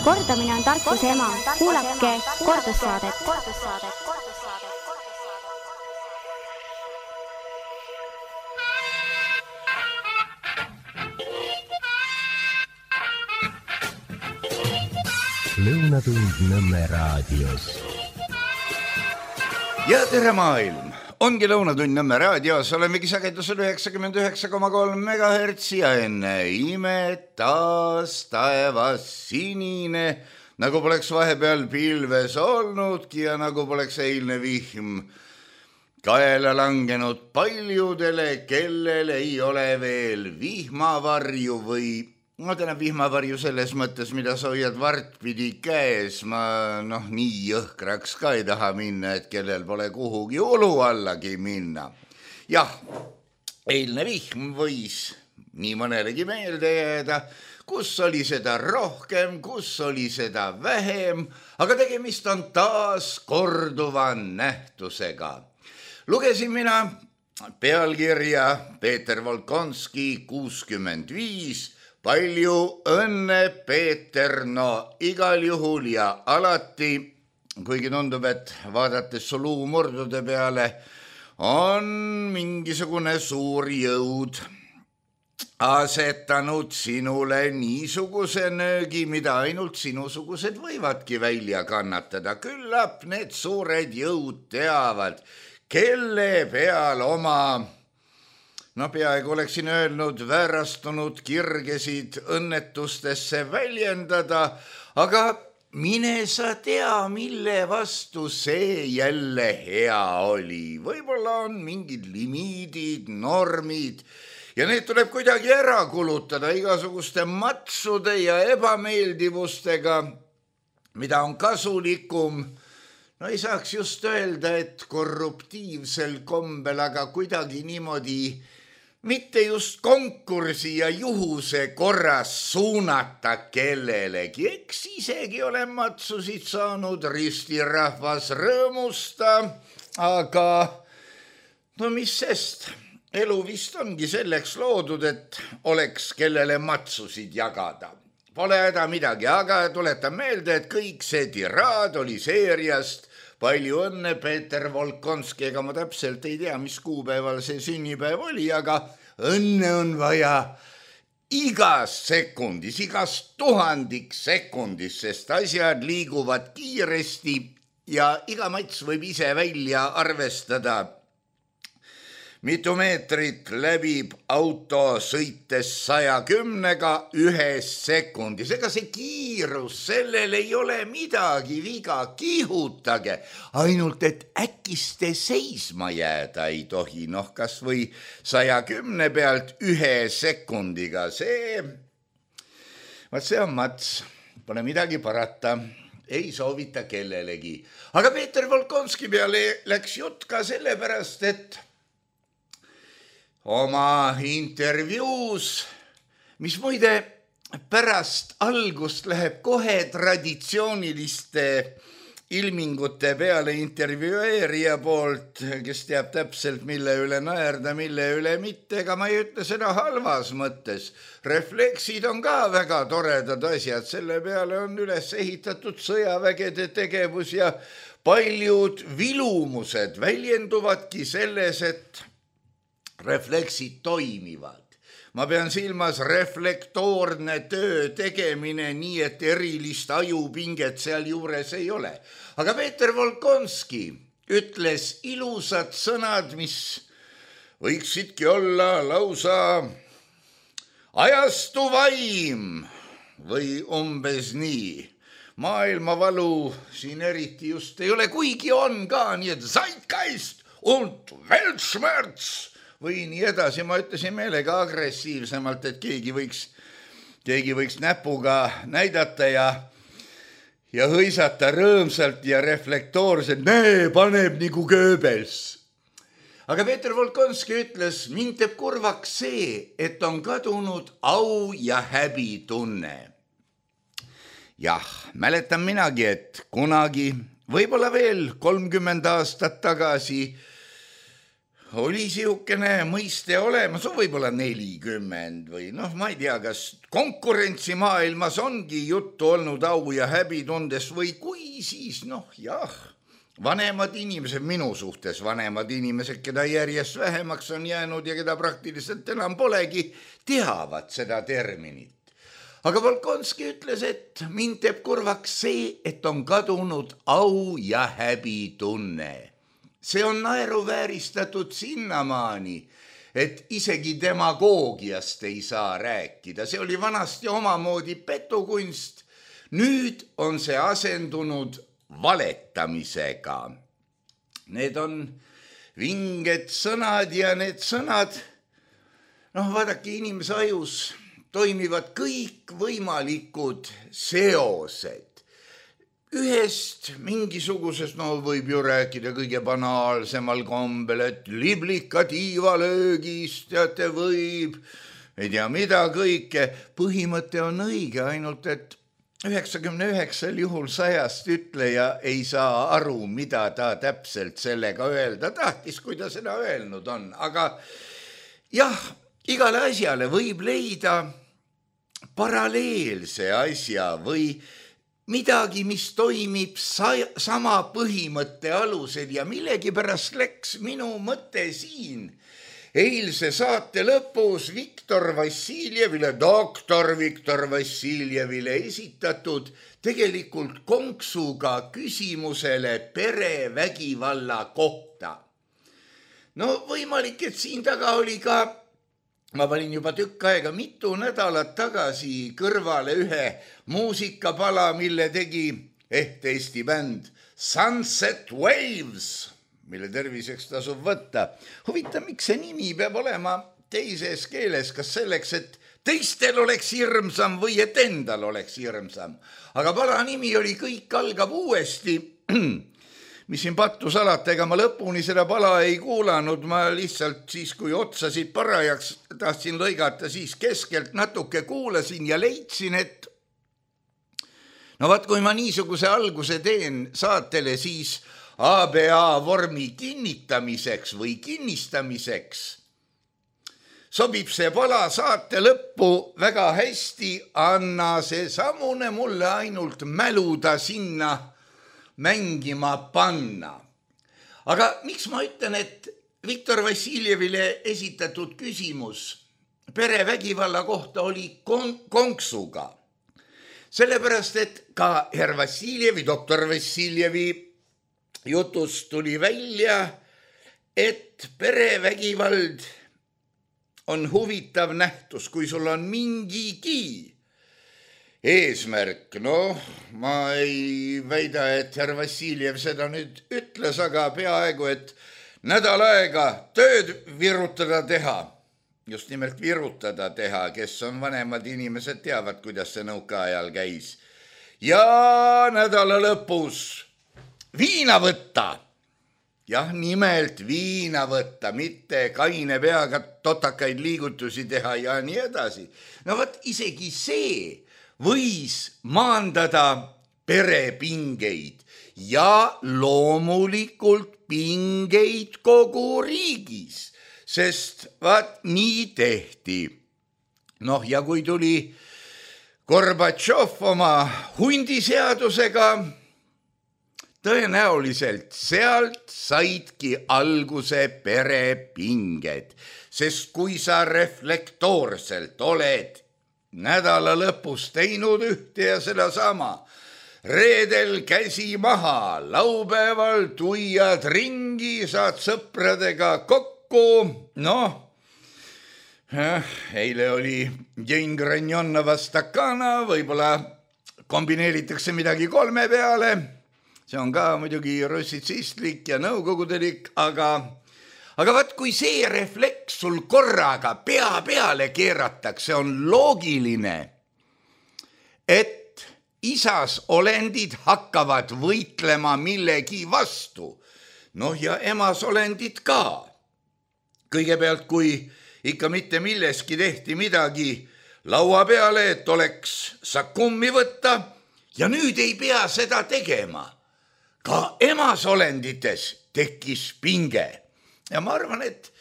Kordamine on tarkuse ema. Kuulake kordussaadet. Lõunatund Nõmme raadios. Ja tere maailm! Ongi Lõunatund Nõmme raadios, olemegi sagedusel 99,3 MHz ja enne imet taas taevas sinine, nagu poleks vahepeal pilves olnudki ja nagu poleks eilne vihm kaela langenud paljudele, kellel ei ole veel vihmavarju või vihmavarju selles mõttes, mida sa hoiad vartpidi käes. Ma nii jõhkraks ka ei taha minna, et kellel pole kuhugi ulu allagi minna. Jah, eilne vihm võis nii mõnelegi meelde jääda, kus oli seda rohkem, kus oli seda vähem, aga tegemist on taas korduva nähtusega. Lugesin mina pealkirja Peeter Volkonski 65. Palju õnne, Peeter, igal juhul ja alati, kuigi tundub, et vaadates su luumurdude peale, on mingisugune suur jõud asetanud sinule niisuguse nöögi, mida ainult sinusugused võivadki välja kannatada. Küllap need suured jõud teavad, kelle peal oma peaaegu oleksin öelnud, väärastunud kirgesid õnnetustesse väljendada, aga mine sa tea, mille vastu see jälle hea oli. Võib-olla on mingid limiidid, normid ja need tuleb kuidagi ära kulutada igasuguste matsude ja ebameeldivustega, mida on kasulikum. Ei saaks just öelda, et korruptiivsel kombel, aga kuidagi niimoodi mitte just konkursi ja juhuse korras suunata kellelegi. Eks isegi olen matsusid saanud, ristirahvas rõõmusta, aga mis sest, elu vist ongi selleks loodud, et oleks kellele matsusid jagada. Pole häda midagi, aga tuletan meelde, et kõik see tiraad oli seeriast Palju õnne, Peeter Volkonski, ega ma täpselt ei tea, mis kuupäeval see sünnipäev oli, aga õnne on vaja igas sekundis, igas 1000 sekundis, sest asjad liiguvad kiiresti ja iga mats võib ise välja arvestada. Mitu meetrit läbib auto sõites 110-ga 1 sekundis. Ega see kiirus, sellel ei ole midagi viga, kihutage. Ainult, et äkiste seisma jääda ei tohi. Kas või 110 pealt 1 sekundiga. See on mats. Pole midagi parata. Ei soovita kellelegi. Aga Peeter Volkonski peale läks jutt ka sellepärast, et oma intervjuus, mis muide pärast algust läheb kohe traditsiooniliste ilmingute peale intervjueerija poolt, kes teab täpselt, mille üle naerda, mille üle mitte, ega ma ei ütle seda halvas mõttes. Refleksid on ka väga toredad asjad, selle peale on üles ehitatud sõjavägede tegevus ja paljud vilumused väljenduvadki selles, et refleksid toimivad. Ma pean silmas reflektoorne töö tegemine nii, et erilist ajupinget seal juures ei ole. Aga Peeter Volkonski ütles ilusad sõnad, mis võiksidki olla lausa ajastu vaim või umbes nii. Maailmavalu siin eriti just ei ole, kuigi on ka nii, et Zeitgeist und Weltschmerz või nii edasi. Ma ütlesin meelega agressiivsemalt, et keegi võiks näpuga näidata ja hõisata rõõmsalt ja reflektoorselt, paneb nagu Goebbels. Aga Peeter Volkonski ütles, mind teeb kurvaks see, et on kadunud au ja häbi tunne. Jah, mäletan minagi, et kunagi, võib-olla veel 30 aastat tagasi oli siukene mõiste olemas, võib-olla 40 või noh, ma ei tea, kas konkurentsimaailmas ongi juttu olnud au ja häbitundest või kui siis noh jah, vanemad inimesed, minu suhtes vanemad inimesed, keda järjest vähemaks on jäänud ja keda praktiliselt enam polegi, teavad seda terminit. Aga Volkonski ütles, et mind teeb kurvaks see, et on kadunud au ja häbitunne. See on naeruvääristatud sinnamaani, et isegi demagoogiast ei saa rääkida. See oli vanasti omamoodi petukunst. Nüüd on see asendunud valetamisega. Need on vinged sõnad ja need sõnad, vaadake, inimese ajus toimivad kõik võimalikud seosed. Ühest mingisugusest, võib ju rääkida kõige banaalsemal kombel, et liblika tiivalöögist, teate, võib, ei tea mida kõike. Põhimõte on õige, ainult et 99 juhul 100 ütleja ei saa aru, mida ta täpselt sellega öelda tahtis, kui ta seda öelnud on. Aga jah, igale asjale võib leida paralleelse asja või midagi, mis toimib sama põhimõtte alusel ja millegipärast läks minu mõte siin eilse saate lõpus doktor Viktor Vassiljevile esitatud tegelikult konksuga küsimusele perevägivalla kohta. Võimalik, et siin taga oli ka, ma panin juba tükk aega mitu nädalat tagasi kõrvale ühe muusikapala, mille tegi Eesti bänd Sunset Waves, mille terviseks tasub võtta. Huvitav, miks see nimi peab olema teises keeles, kas selleks, et teistel oleks hirmsam või et endal oleks hirmsam. Aga pala nimi oli Kõik algab uuesti. Mis siin pattu salata, ega ma lõpuni seda pala ei kuulanud, ma lihtsalt siis, kui otsasid parajaks tahtsin lõigata, siis keskelt natuke kuulasin ja leidsin, et kui ma niisuguse alguse teen saatele, siis ABA vormi kinnitamiseks või kinnistamiseks sobib see pala saate lõppu väga hästi, anna see samune mulle ainult mäluda sinna mängima panna. Aga miks ma ütlen, et Viktor Vassiljevile esitatud küsimus perevägivalla kohta oli konksuga? Sellepärast, et ka herr Vassiljevi, doktor Vassiljevi jutust tuli välja, et perevägivald on huvitav nähtus, kui sul on mingigi eesmärk. Ma ei väida, et herr Vassiljev seda nüüd ütles, aga peaaegu, et nädal aega tööd virutada teha, just nimelt virutada teha, kes on vanemad inimesed, teavad, kuidas see nõukaajal käis. Ja nädala lõpus viina võtta. Jah, nimelt viina võtta, mitte kaine peaga totakaid liigutusi teha ja nii edasi. Isegi see võis maandada perepingeid ja loomulikult pingeid kogu riigis, sest nii tehti. Ja kui tuli Gorbatšov oma hundiseadusega, tõenäoliselt sealt saidki alguse perepinged, sest kui sa reflektoorselt oled nädala lõpus teinud ühte ja sedasama, reedel käsi maha, laupäeval tuiad ringi, saad sõpradega kokku, eile oli Jane Granjonova Stakana, võib-olla kombineeritakse midagi 3 peale, see on ka muidugi russitsistlik ja nõukogudelik, aga kui see refleks sul korraga pea peale keeratakse, on loogiline, et isas olendid hakkavad võitlema millegi vastu. Ja emas olendid ka. Kõigepealt, kui ikka mitte milleski tehti midagi laua peale, et oleks sakummi võtta ja nüüd ei pea seda tegema. Ka emas olendites tekkis pinge. ja ma arvan, et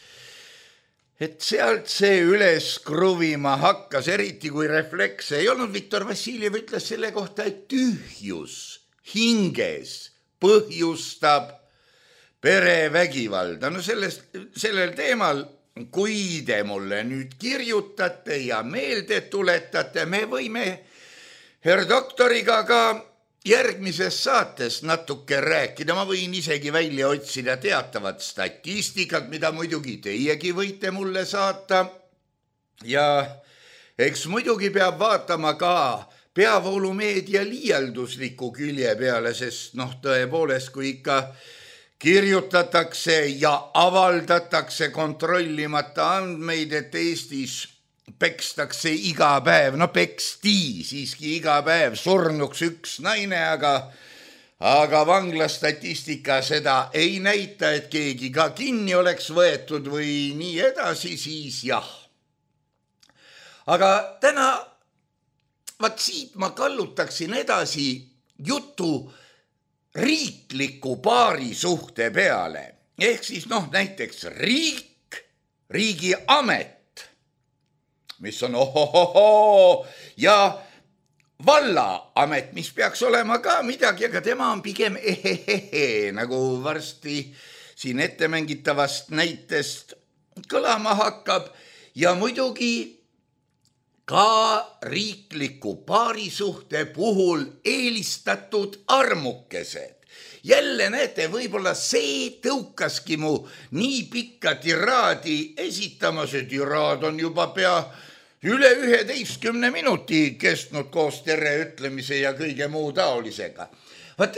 sealt see üles kruvima hakkas, eriti kui refleks ei olnud. Viktor Vassiljev ütles selle kohta, et tühjus hinges põhjustab perevägivalda. No sellel teemal, kui te mulle nüüd kirjutate ja meelde tuletate, me võime herr doktoriga ka järgmises saates natuke rääkida. Ma võin isegi välja otsida teatavat statistikat, mida muidugi teiegi võite mulle saata. Ja eks muidugi peab vaatama ka peavoolumeedia liialdusliku külje peale, sest tõepoolest, kui ikka kirjutatakse ja avaldatakse kontrollimata andmeid, et Eestis pekstakse iga päev, peksti siiski iga päev surnuks üks naine, aga vanglastatistika seda ei näita, et keegi ka kinni oleks võetud või nii edasi, siis jah. Aga täna, siit ma kallutaksin edasi jutu riikliku paarisuhte peale. Ehk siis näiteks riigiamet, mis on ja vallaamet, mis peaks olema ka midagi, aga tema on pigem nagu varsti siin ettemängitavast näitest kõlama hakkab. Ja muidugi ka riikliku paarisuhte puhul eelistatud armukesed. Jälle näete, võib-olla see tõukaski mu nii pikka tiraadi esitama. See tiraad on juba pea üle 11 minuti kestnud koos tere ütlemise ja kõige muu taolisega.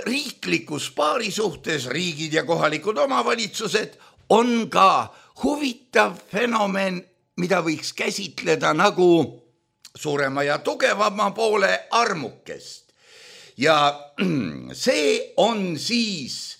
Riiklikus paarisuhtes riigid ja kohalikud omavalitsused on ka huvitav fenomen, mida võiks käsitleda nagu suurema ja tugevama poole armukest. Ja see on siis,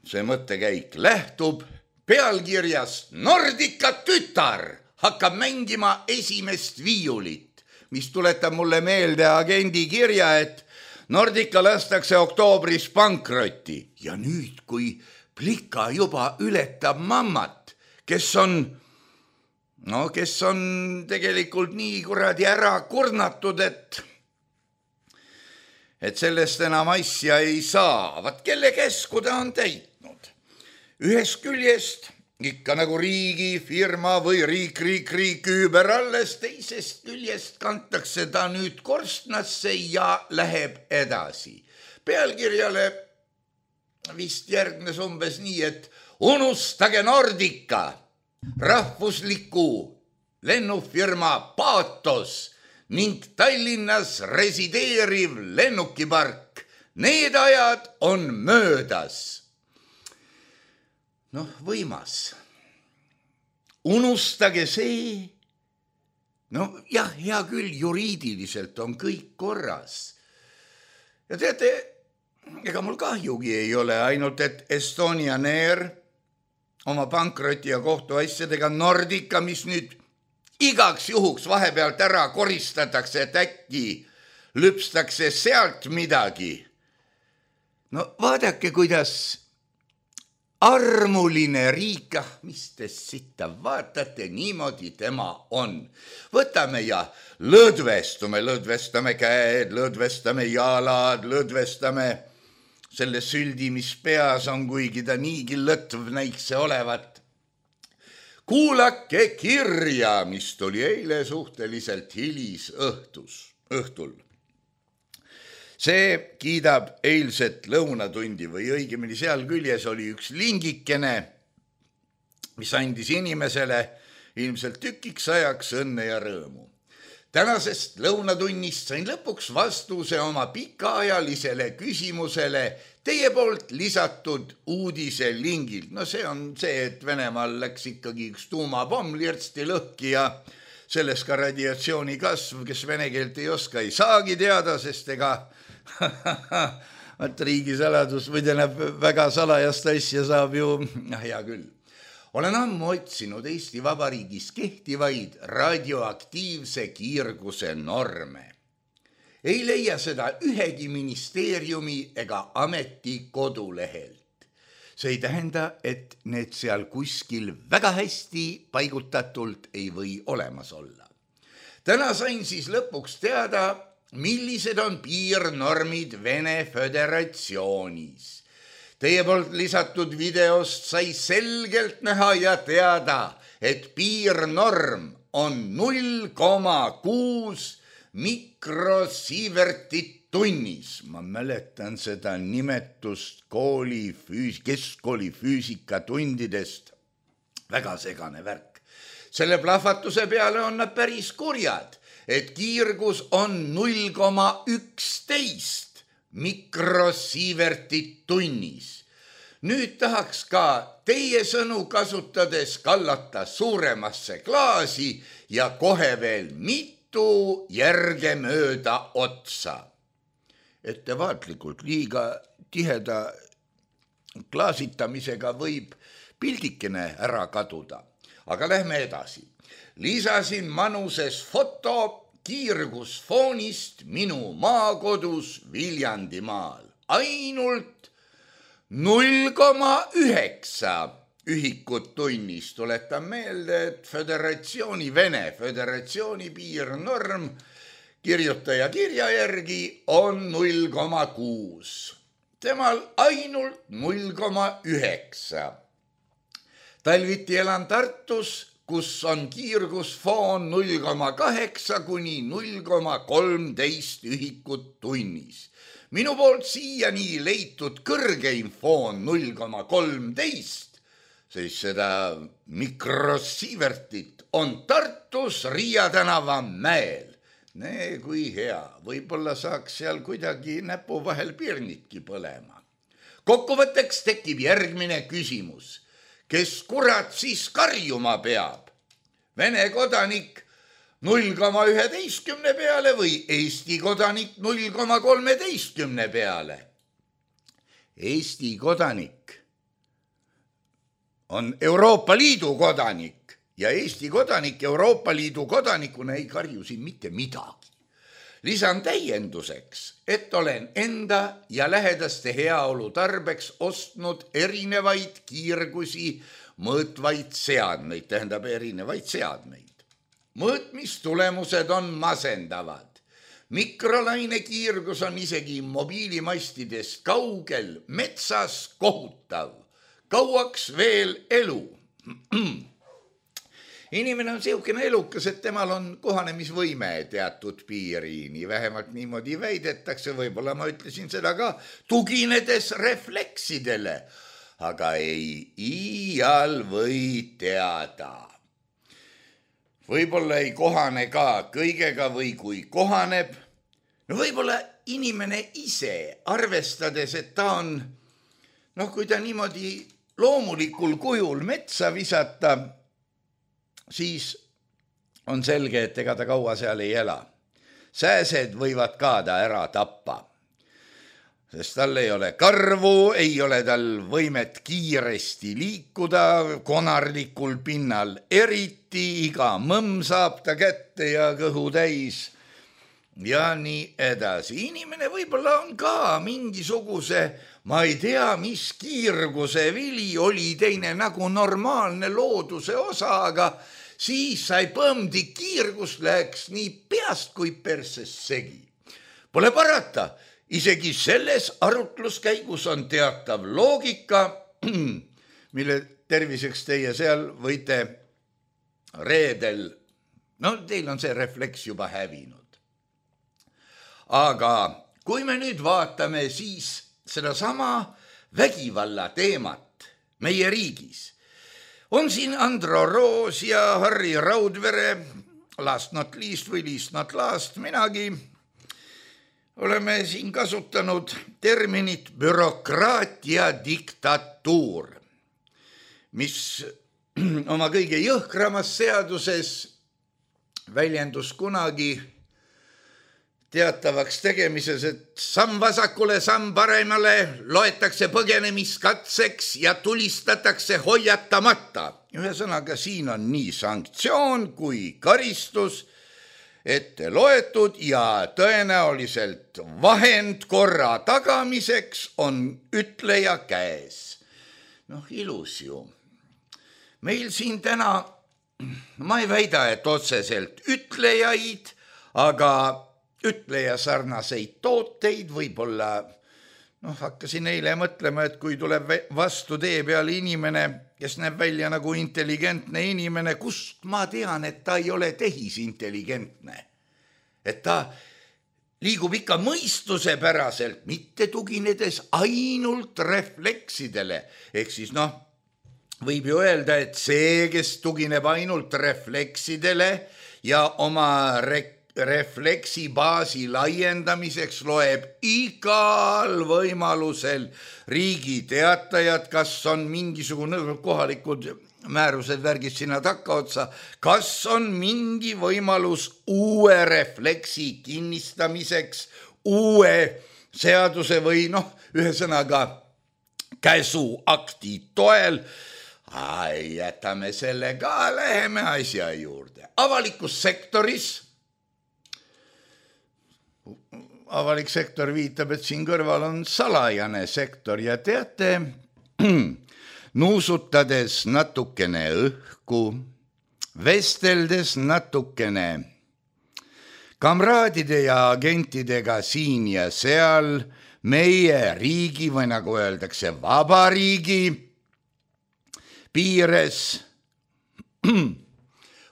see mõttekäik lähtub pealkirjast Nordica tütar hakkab mängima esimest viiulit, mis tuletab mulle meelde agendi kirja, et Nordica lastakse oktoobris pankrotti. Ja nüüd, kui plika juba ületab mammat, kes on tegelikult nii kuradi ära kurnatud, et sellest enam asja ei saa. Kelle käsku ta on täitnud? Ühest küljest ikka nagu riigi, firma või riik üüber alles, teisest küljest kantakse ta nüüd korstnasse ja läheb edasi. Pealkirjale vist järgnes umbes nii, et unustage Nordica, rahvusliku lennufirma Paatos ning Tallinnas resideeriv lennukipark. Need ajad on möödas. Võimas. Unustage see. Jah, hea küll, juriidiliselt on kõik korras. Ja teate, ega mul kahjugi ei ole, ainult et Estonian Air oma pankroti ja kohtuasjadega, Nordica, mis nüüd igaks juhuks vahepealt ära koristatakse, et äkki lüpstakse sealt midagi. Vaadake, kuidas armuline riik, mis te sitta vaatate, niimoodi tema on. Võtame ja lõdvestame käed, lõdvestame jalad, lõdvestame selle süldi, mis peas on, kuigi ta niigi lõtv näikse olevat. Kuulake kirja, mis tuli eile suhteliselt õhtul. See kiidab eilset lõunatundi või õigemini seal küljes oli üks lingikene, mis andis inimesele ilmselt tükiks ajaks õnne ja rõõmu. Tänasest lõunatunnist sain lõpuks vastuse oma pikaajalisele küsimusele teie poolt lisatud uudise lingilt. See on see, et Venemaal läks ikkagi üks tuumapomm lirtsti lõhki ja sellest ka radiatsiooni kasv, kes vene keelt ei oska, ei saagi teada, sest ega riigisaladus või tähendab väga salajast asja saab ju, hea küll. Olen ammu otsinud Eesti Vabariigis kehtivaid radioaktiivse kiirguse norme. Ei leia seda ühegi ministeeriumi ega ameti kodulehelt. See ei tähenda, et need seal kuskil väga hästi paigutatult ei või olemas olla. Täna sain siis lõpuks teada, millised on piirnormid Vene Föderatsioonis. Teie poolt lisatud videost sai selgelt näha ja teada, et piirnorm on 0,6 mikrosievertit tunnis. Ma mäletan seda nimetust keskkooli füüsikatundidest. Väga segane värk. Selle plahvatuse peale on nad päris kurjad, et kiirgus on 0,11 mikrosievertit tunnis. Nüüd tahaks ka teie sõnu kasutades kallata suuremasse klaasi ja kohe veel mitu järge mööda otsa. Ettevaatlikult liiga tiheda klaasitamisega võib pildikene ära kaduda. Aga lähme edasi. Lisasin manuses foto kiirgusfoonist minu maakodus Viljandimaal. Ainult 0,9 ühikut tunnis. Tuletan meelde, et Vene Föderatsiooni piirnorm kirjutaja kirja järgi on 0,6. Temal ainult 0,9. Talviti elan Tartus, kus on kiirgusfoon 0,8 kuni 0,13 ühikut tunnis. Minu poolt siiani leitud kõrgeim foon 0,13, siis seda mikrosievertit on Tartus Riia tänava mäel. Nee, kui hea, võib-olla saaks seal kuidagi näpu vahel pirnitki põlema. Kokkuvõtteks tekib järgmine küsimus. Kes kurat siis karjuma peab? Vene kodanik 0,11 peale või Eesti kodanik 0,13 peale? Eesti kodanik on Euroopa Liidu kodanik. Ja Eesti kodanik Euroopa Liidu kodanikuna ei karju siin mitte midagi. Lisan täienduseks, et olen enda ja lähedaste heaolu tarbeks ostnud erinevaid kiirgusi mõõtvaid seadmeid, tähendab erinevaid seadmeid. Mõõtmistulemused on masendavad. Mikrolaine kiirgus on isegi mobiilimastidest kaugel, metsas kohutav. Kauaks veel elu. Inimene on siukene elukas, et temal on kohanemisvõime teatud piiriini, vähemalt niimoodi väidetakse, võib-olla ma ütlesin seda ka, tuginedes refleksidele, aga ei iial või teada. Võib-olla ei kohane ka kõigega või kui kohaneb, no võib-olla inimene ise, arvestades, et ta on, kui ta niimoodi loomulikul kujul metsa visata, siis on selge, et ega ta kaua seal ei ela. Sääsed võivad ka ta ära tappa, sest tal ei ole karvu, ei ole tal võimet kiiresti liikuda konarlikul pinnal. Eriti iga mõmm saab ta kätte ja kõhu täis ja nii edasi. Inimene võib-olla on ka mingisuguse, ma ei tea, mis kiirguse vili oli teine nagu normaalne looduse osa, aga siis sai põmdi kiirgus läks nii peast kui perses segi. Pole parata, isegi selles arutluskäigus on teatav loogika, mille terviseks teie seal võite reedel, teil on see refleks juba hävinud. Aga kui me nüüd vaatame siis sedasama vägivalla teemat meie riigis, on siin Andro Roos ja Harri Raudvere, last not least või least not last, minagi oleme siin kasutanud terminit bürokraatia diktatuur, mis oma kõige jõhkramas seaduses väljendus kunagi teatavaks tegemises, et samm vasakule, samm paremale loetakse põgenemiskatseks ja tulistatakse hoiatamata. Ühesõnaga, siin on nii sanktsioon kui karistus ette loetud ja tõenäoliselt vahend korra tagamiseks on ütleja käes. ilus ju. Meil siin täna, ma ei väida, et otseselt ütlejaid, aga ütleja sarnaseid tooteid võib-olla, hakkasin eile mõtlema, et kui tuleb vastu tee peale inimene, kes näeb välja nagu intelligentne inimene, kust ma tean, et ta ei ole tehisintelligentne. Et ta liigub ikka mõistuse päraselt, mitte tuginedes ainult refleksidele. Ehk siis võib ju öelda, et see, kes tugineb ainult refleksidele ja oma refleksibaasi laiendamiseks loeb igal võimalusel Riigi Teatajad, kas on mingisugune kohalikud määrused värgid sinna takkaotsa, kas on mingi võimalus uue refleksi kinnistamiseks, uue seaduse või ühesõnaga käsuakti toel. Jätame selle ka, läheme asja juurde. Avalikus sektoris avalik sektor viitab, et siin kõrval on salajane sektor ja teate, nuusutades natukene õhku, vesteldes natukene kamraadide ja agentidega siin ja seal, meie riigi või nagu öeldakse, vabariigi piires,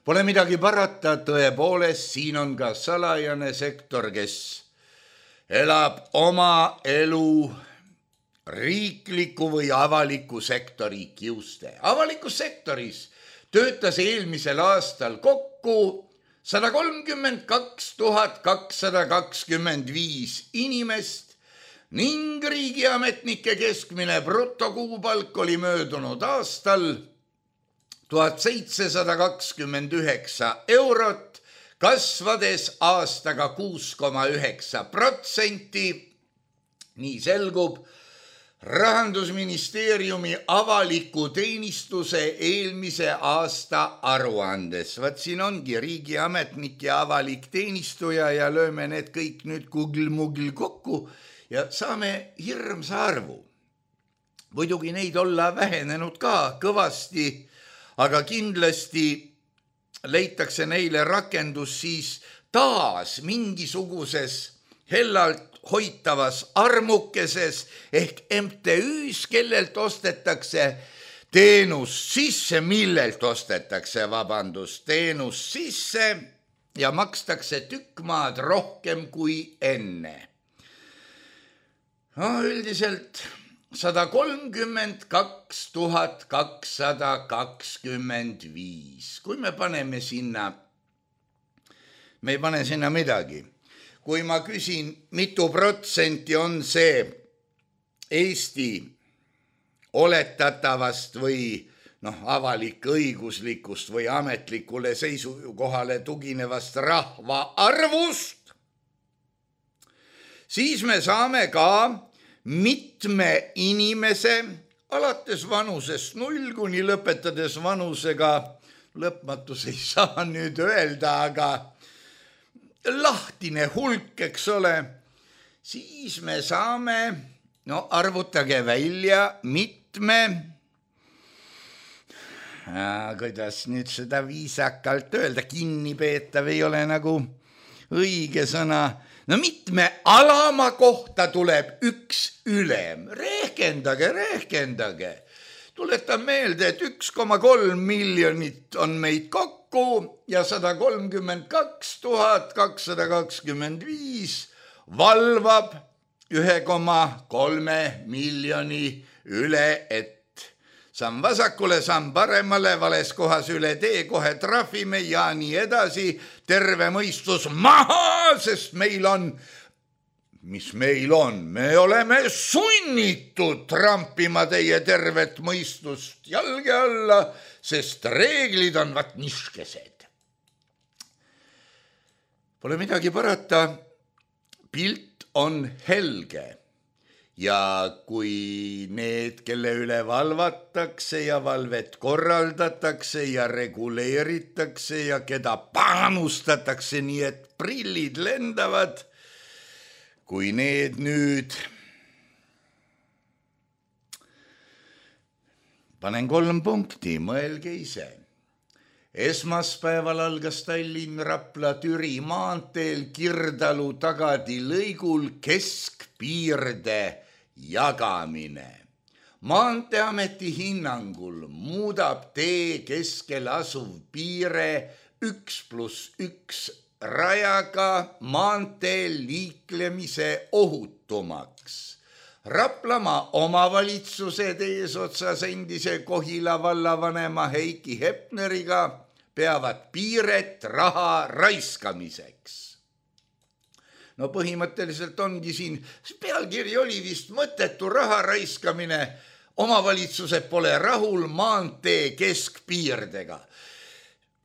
pole midagi parata, tõepoolest, siin on ka salajane sektor, kes elab oma elu riikliku või avaliku sektori kiuste. Avalikus sektoris töötas eelmisel aastal kokku 132 225 inimest ning riigiametnike keskmine brutokuupalk oli möödunud aastal 1729 eurot, kasvades aastaga 6,9%. Nii selgub Rahandusministeeriumi avaliku teenistuse eelmise aasta aruandes. Vaat siin ongi riigiametnik ja avalik teenistuja ja lööme need kõik nüüd Google-Mugl kokku ja saame hirmsa arvu. Muidugi neid olla vähenenud ka kõvasti, aga kindlasti leitakse neile rakendus siis taas mingisuguses hellalt hoitavas armukeses ehk MTÜs, kellelt ostetakse teenus sisse, millelt ostetakse, teenus sisse ja makstakse tükk maad rohkem kui enne. Üldiselt 132 225. Kui me paneme sinna, me ei pane sinna midagi. Kui ma küsin, mitu protsenti on see Eesti oletatavast või avalik-õiguslikust või ametlikule seisukohale tuginevast rahva arvust, siis me saame ka mitme inimese alates vanusest 0 kuni lõpetades vanusega, lõpmatus ei saa nüüd öelda, aga lahtine hulk, eks ole, siis me saame, arvutage välja mitme, kuidas nüüd seda viisakalt öelda, kinnipeetav ei ole nagu õige sõna, mitme alama kohta tuleb üks ülem. Rehkendage. Tuletan meelde, et 1,3 miljonit on meid kokku ja 132 225 valvab 1,3 miljoni üle, et samm vasakule, samm paremale, vales kohas üle tee, kohe trahvime ja nii edasi. Terve mõistus maha, sest meil on, mis meil on? Me oleme sunnitud trampima teie tervet mõistust jalge alla, sest reeglid on vaat niškesed. Pole midagi parata, pilt on helge. Ja kui need, kelle üle valvatakse ja valvet korraldatakse ja reguleeritakse ja keda panustatakse nii, et prillid lendavad, kui need nüüd panen 3 punkti, mõelge ise. Esmaspäeval algas Tallinn-Rapla-Türi maanteel Kirdalu tagadi lõigul keskpiirde jagamine. Maanteeameti hinnangul muudab tee keskel asuv piire 1+1 rajaga maanteel liiklemise ohutumaks. Raplamaa omavalitsuse eesotsas endise Kohila vallavanema Heiki Hepneriga peavad piiret raha raiskamiseks. No põhimõtteliselt ongi siin, pealkiri oli vist mõttetu raha raiskamine, omavalitsused pole rahul maantee keskpiirdega.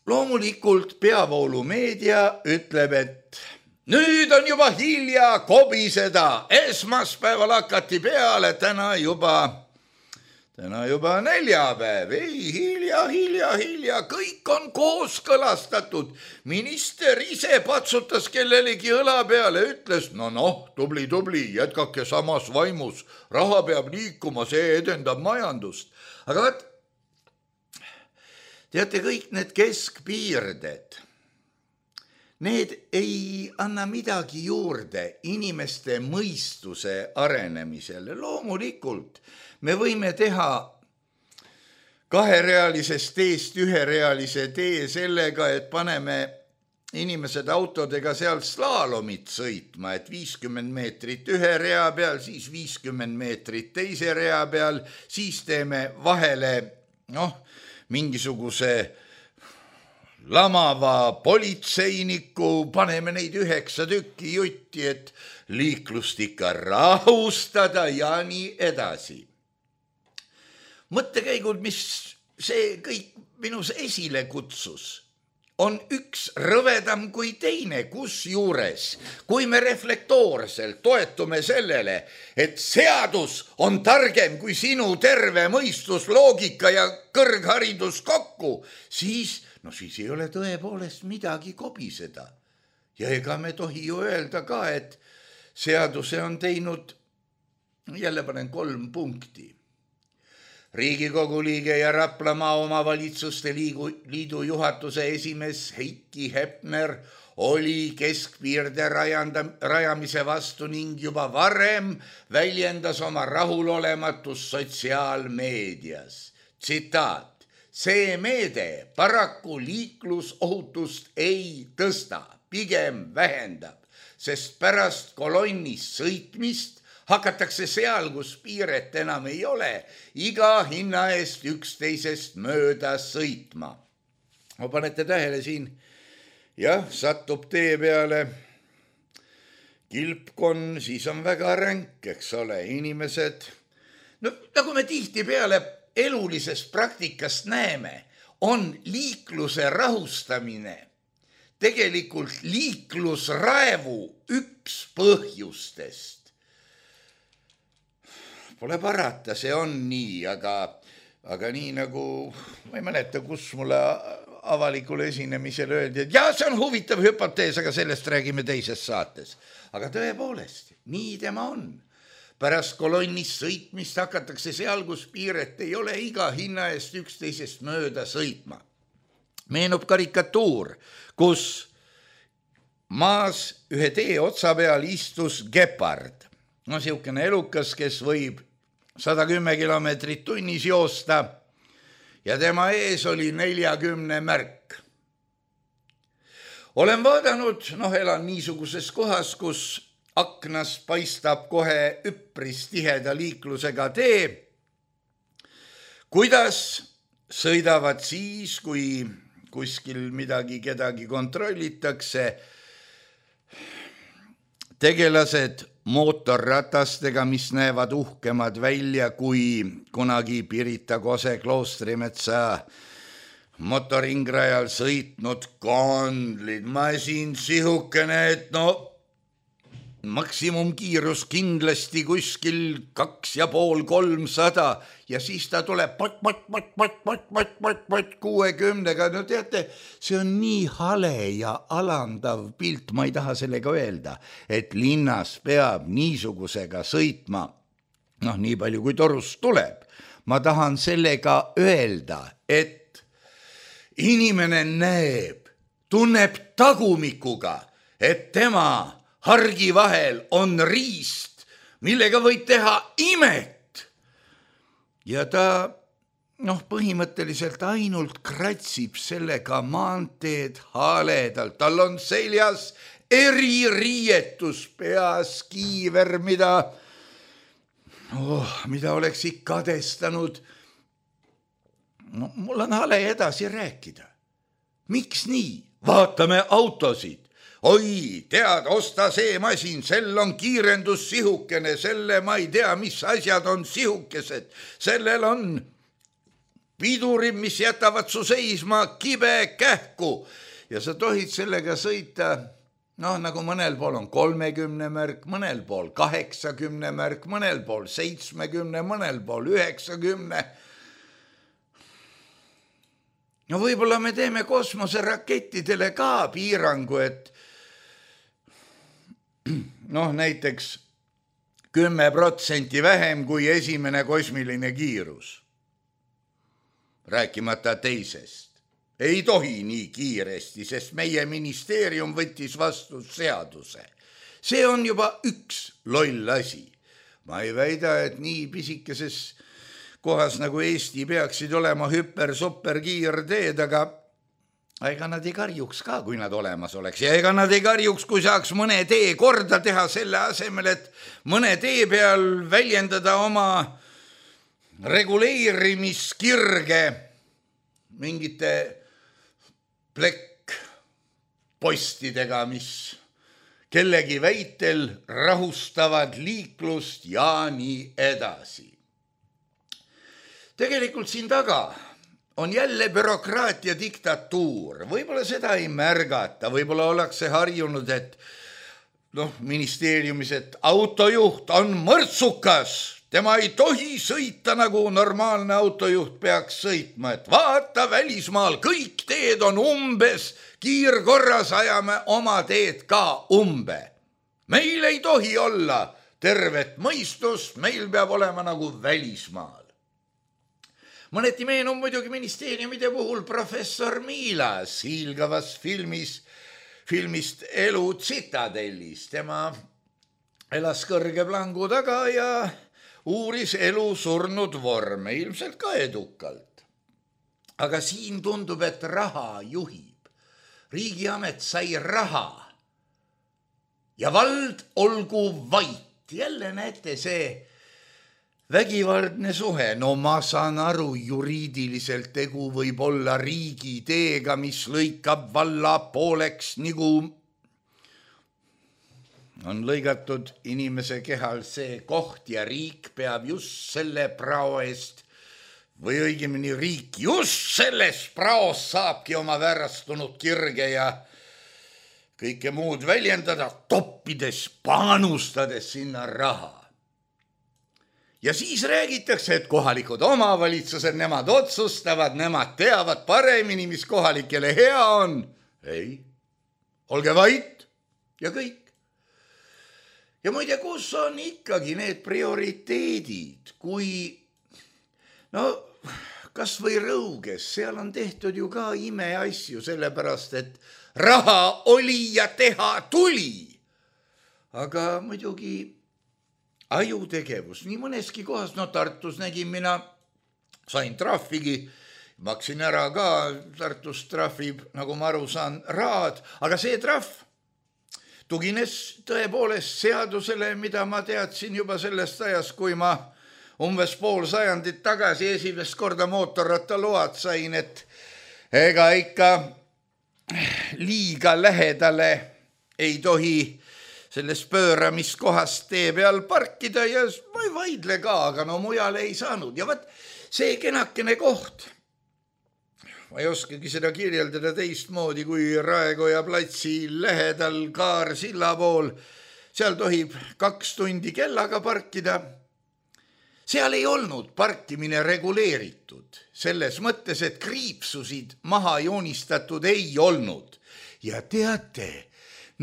Loomulikult peavoolumeedia ütleb, et nüüd on juba hilja kobiseda, esmaspäeval hakati peale, täna juba neljapäev, ei hilja, kõik on kooskõlastatud. Minister ise patsutas kellelegi õla peale, ütles, tubli, jätkake samas vaimus, raha peab liikuma, see edendab majandust. Aga teate, kõik need keskpiirded, need ei anna midagi juurde inimeste mõistuse arenemisele. Loomulikult me võime teha 2-realisest teest 1-realise tee sellega, et paneme inimesed autodega seal slaalomit sõitma, et 50 meetrit ühe rea peal, siis 50 meetrit teise rea peal, siis teeme vahele mingisuguse lamava politseiniku, paneme neid 9 tükki jutti, et liiklust ikka rahustada ja nii edasi. Mõttekäigud, mis see kõik minus esile kutsus, on üks rõvedam kui teine, kusjuures, kui me reflektoorselt toetume sellele, et seadus on targem kui sinu terve mõistus, loogika ja kõrgharidus kokku, siis ei ole tõepoolest midagi kobiseda. Ja ega me tohi ju öelda ka, et seaduse on teinud, jälle panen 3 punkti. Riigikogu liige ja Raplamaa omavalitsuste liidu juhatuse esimees Heiki Hepner oli keskpiirde rajamise vastu ning juba varem väljendas oma rahulolematust sotsiaalmeedias. Tsitaat, see meede paraku liiklusohutust ei tõsta, pigem vähendab, sest pärast kolonnis sõitmist hakatakse seal, kus piiret enam ei ole, iga hinna eest üksteisest mööda sõitma. Panete tähele siin, satub tee peale kilpkonn, siis on väga ränk, eks ole, inimesed. Nagu me tihtipeale elulisest praktikast näeme, on liikluse rahustamine tegelikult liiklusraevu üks põhjustest. Pole parata, see on nii, aga nii nagu, ma ei mäleta, kus mulle avalikule esinemisele öeldi, et see on huvitav hüpotees, aga sellest räägime teises saates. Aga tõepoolest, nii tema on. Pärast kolonnis sõitmist hakatakse seal, kus piiret ei ole, iga hinna eest üksteisest mööda sõitma. Meenub karikatuur, kus maas ühe tee otsa peal istus gepard. Siukene elukas, kes võib 110 kilomeetrit tunnis joosta ja tema ees oli 40 märk. Olen vaadanud, elan niisuguses kohas, kus aknas paistab kohe üpris tiheda liiklusega tee, kuidas sõidavad siis, kui kuskil kedagi kontrollitakse, tegelased mootorratastega, mis näevad uhkemad välja kui kunagi Pirita Kose Kloostrimetsa motoringrajal sõitnud kondlid. Masin sihukene, et maksimumkiirus kindlasti kuskil 250–300 ja siis ta tuleb 60-ga. Teate, see on nii hale ja alandav pilt, ma ei taha sellega öelda, et linnas peab niisugusega sõitma, nii palju kui torust tuleb. ma tahan sellega öelda, et inimene näeb, tunneb tagumikuga, et tema hargi vahel on riist, millega võib teha imet. Ja ta põhimõtteliselt ainult kratsib sellega maanteed haledalt. Tal on seljas eririietus, peas kiiver, mida oleks ikka kadestanud. Mul on hale edasi rääkida. Miks nii? Vaatame autosid. Oi, tead, osta see masin, sel on kiirendus sihukene, selle ma ei tea, mis asjad on sihukesed. Sellel on pidurid, mis jätavad su seisma kibe kähku ja sa tohid sellega sõita, nagu mõnel pool on 30 märk, mõnel pool 80 märk, mõnel pool 70, mõnel pool 90. Võib-olla me teeme kosmoserakettidele ka piirangu, et näiteks 10% vähem kui esimene kosmiline kiirus. Rääkimata teisest. Ei tohi nii kiiresti, sest meie ministeerium võttis vastu seaduse. See on juba üks loll asi. Ma ei väida, et nii pisikeses kohas nagu Eesti peaksid olema hüper-super kiirteed, aga ega nad ei karjuks ka, kui nad olemas oleks. Ja ega nad ei karjuks, kui saaks mõne tee korda teha selle asemel, et mõne tee peal väljendada oma reguleerimiskirge mingite plekkpostidega, mis kellegi väitel rahustavad liiklust ja nii edasi. Tegelikult siin taga on jälle bürokraatia diktatuur. Võib-olla seda ei märgata, võib-olla ollakse harjunud, et ministeeriumis, et autojuht on mõrtsukas. Tema ei tohi sõita nagu normaalne autojuht peaks sõitma, et vaata välismaal, kõik teed on umbes, kiirkorras ajame oma teed ka umbe. Meil ei tohi olla tervet mõistust, meil peab olema nagu välismaal. Mõneti meenub muidugi ministeeriumide puhul professor Miilas hiilgavast filmist Elu tsitadellis. Tema elas kõrge plangu taga ja uuris elu surnud vorme, ilmselt ka edukalt. Aga siin tundub, et raha juhib. Riigiamet sai raha ja vald olgu vait. Jälle näete see vägivaldne suhe. Ma saan aru, juriidiliselt tegu võib olla riigi teega, mis lõikab valla pooleks, nagu on lõigatud inimese kehal see koht ja riik peab just selle prao eest või õigemini riik just selles praos saabki oma väärastunud kirge ja kõike muud väljendada, toppides, panustades sinna raha. Ja siis räägitakse, et kohalikud omavalitsused, nemad otsustavad, nemad teavad paremini, mis kohalikele hea on. Ei, olge vait ja kõik. Ja muide, kus on ikkagi need prioriteedid, kui, kas või Rõuges, seal on tehtud ju ka imeasju, sellepärast, et raha oli ja teha tuli. Aga muidugi ajutegevus, nii mõneski kohas, Tartus nägin mina, sain trahvigi, maksin ära ka, Tartus trahvib, nagu ma aru saan, raad, aga see trahv tugines tõepoolest seadusele, mida ma teadsin juba sellest ajast, kui ma umbes pool sajandit tagasi esimest korda mootorrattaload sain, et ega ikka liiga lähedale ei tohi selles pööramiskohast tee peal parkida ja ma ei vaidle ka, aga mujale ei saanud. Ja võt, see kenakene koht, ma ei oskagi seda kirjeldada teistmoodi kui Raekoja platsi lähedal Kaarsilla pool. Seal tohib 2 tundi kellaga parkida. Seal ei olnud parkimine reguleeritud. Selles mõttes, et kriipsusid maha joonistatud ei olnud. Ja teate,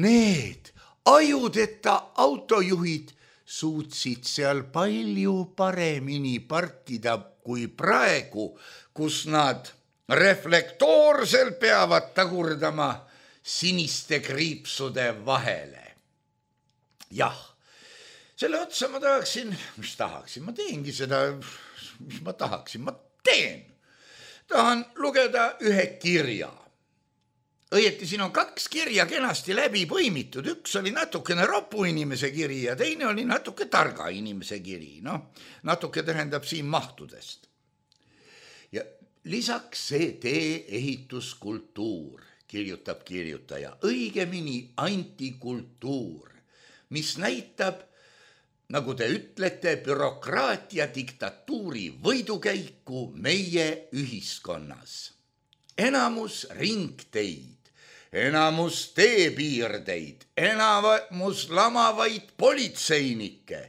need ajudeta autojuhid suutsid seal palju paremini partida kui praegu, kus nad reflektoorselt peavad tagurdama siniste kriipsude vahele. Jah, selle otsa ma tahaksin, ma teengi seda, mis ma tahaksin, ma teen. Tahan lugeda ühe kirja. Õieti siin on 2 kirja kenasti läbi põimitud. Üks oli natukene ropu inimese kiri ja teine oli natuke targa inimese kiri. Natuke tähendab siin mahtudest. Ja lisaks see tee-ehituskultuur, kirjutab kirjutaja, õigemini antikultuur, mis näitab, nagu te ütlete, bürokraatia diktatuuri võidukäiku meie ühiskonnas. Enamus ringteid, enamus teepiirdeid, enamus lamavaid politseinikke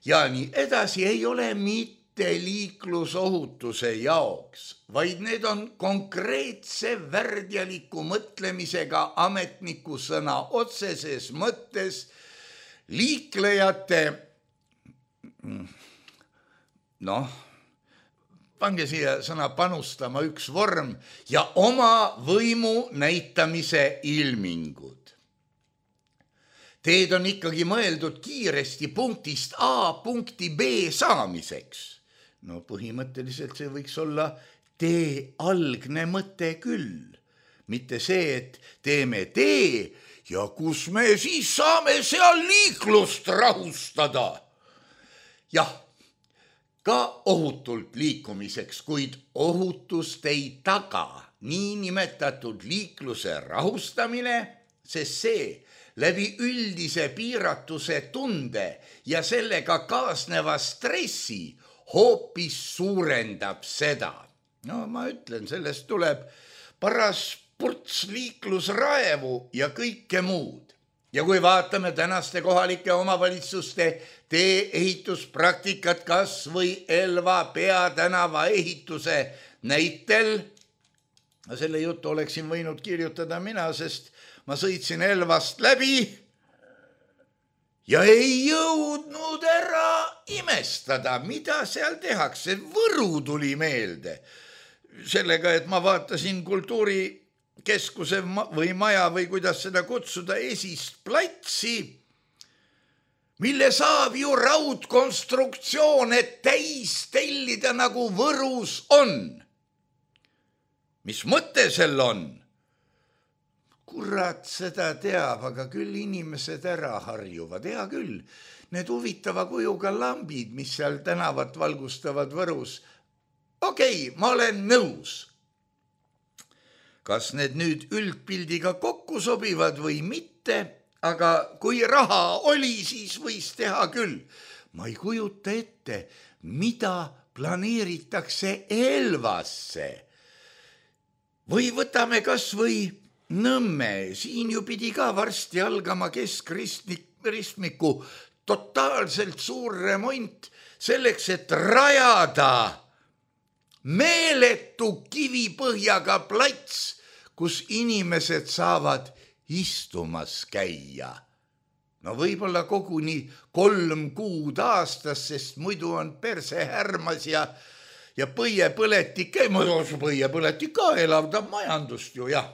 ja nii edasi ei ole mitte liiklusohutuse jaoks, vaid need on konkreetse värdjaliku mõtlemisega ametniku sõna otseses mõttes liiklejate, pange siia sõna panustama üks vorm ja oma võimu näitamise ilmingud. Teed on ikkagi mõeldud kiiresti punktist A punkti B saamiseks. Põhimõtteliselt see võiks olla tee algne mõte küll. Mitte see, et teeme tee ja kus me siis saame seal liiklust rahustada. Jah, ka ohutult liikumiseks, kuid ohutust ei taga niinimetatud liikluse rahustamine, sest see läbi üldise piiratuse tunde ja sellega kaasneva stressi hoopis suurendab seda. Ma ütlen, sellest tuleb paras purts liiklusraevu ja kõike muud. Ja kui vaatame tänaste kohalike omavalitsuste tee-ehituspraktikat kas või Elva peatänava ehituse näitel, selle jutu oleksin võinud kirjutada mina, sest ma sõitsin Elvast läbi ja ei jõudnud ära imestada, mida seal tehakse. Võru tuli meelde sellega, et ma vaatasin kultuurikeskuse või maja või kuidas seda kutsuda esist platsi, mille saab ju raudkonstruktsioone täis tellida nagu Võrus on. Mis mõte sel on? Kurat seda teab, aga küll inimesed ära harjuvad. Hea küll, need huvitava kujuga lambid, mis seal tänavat valgustavad Võrus. Okei, ma olen nõus. Kas need nüüd üldpildiga kokku sobivad või mitte, aga kui raha oli, siis võis teha küll. Ma ei kujuta ette, mida planeeritakse Elvasse. Või võtame kas või Nõmme, siin ju pidi ka varsti algama keskristmiku totaalselt suur remont selleks, et rajada meeletu kivipõhjaga plats, kus inimesed saavad istumas käia. Võib-olla koguni 3 kuud aastas, sest muidu on perse härmas ja põiepõletik ka elavdab majandust ju, jah.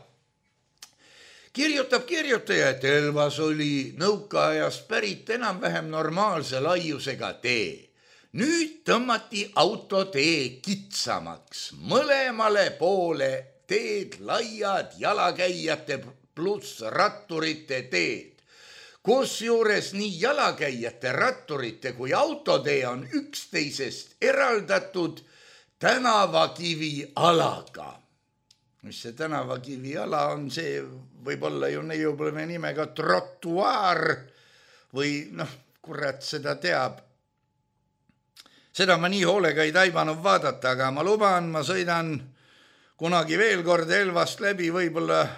Kirjutab kirjutaja, et Elvas oli nõukaajast pärit enam-vähem normaalse laiusega tee. Nüüd tõmmati autotee kitsamaks, mõlemale poole teed laiad jalakäijate pluss ratturite teed. Kusjuures nii jalakäijate, ratturite kui autotee on üksteisest eraldatud tänavakivi alaga. Mis see tänavakivi ala on, see võib olla ju neiupleme nimega trotuaar või kurat seda teab. Seda ma nii hoolega ei taibanud vaadata, aga ma luban, ma sõidan kunagi veel kord Elvast läbi, võib-olla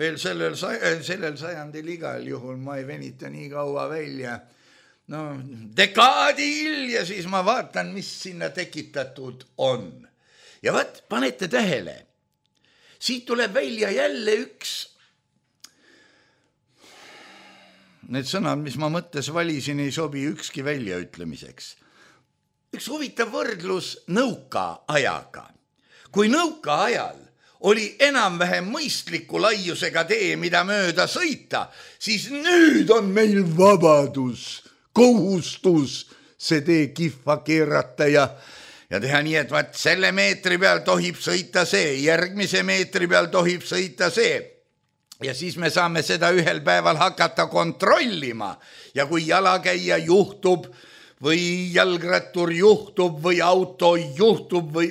veel sellel sajandil igal juhul, ma ei venita nii kaua välja. Dekaadi hilja siis ma vaatan, mis sinna tekitatud on. Ja vaat, panete tähele. Siit tuleb välja jälle üks, need sõnad, mis ma mõttes valisin, ei sobi ükski väljaütlemiseks. Üks huvitav võrdlus nõukaajaga. Kui nõukaajal oli enam-vähem mõistliku laiusega tee, mida mööda sõita, siis nüüd on meil vabadus, kohustus see tee kihva keerata ja teha nii, et vaat selle meetri peal tohib sõita see, järgmise meetri peal tohib sõita see. Ja siis me saame seda ühel päeval hakata kontrollima ja kui jalakäija juhtub või jalgrattur juhtub või auto juhtub või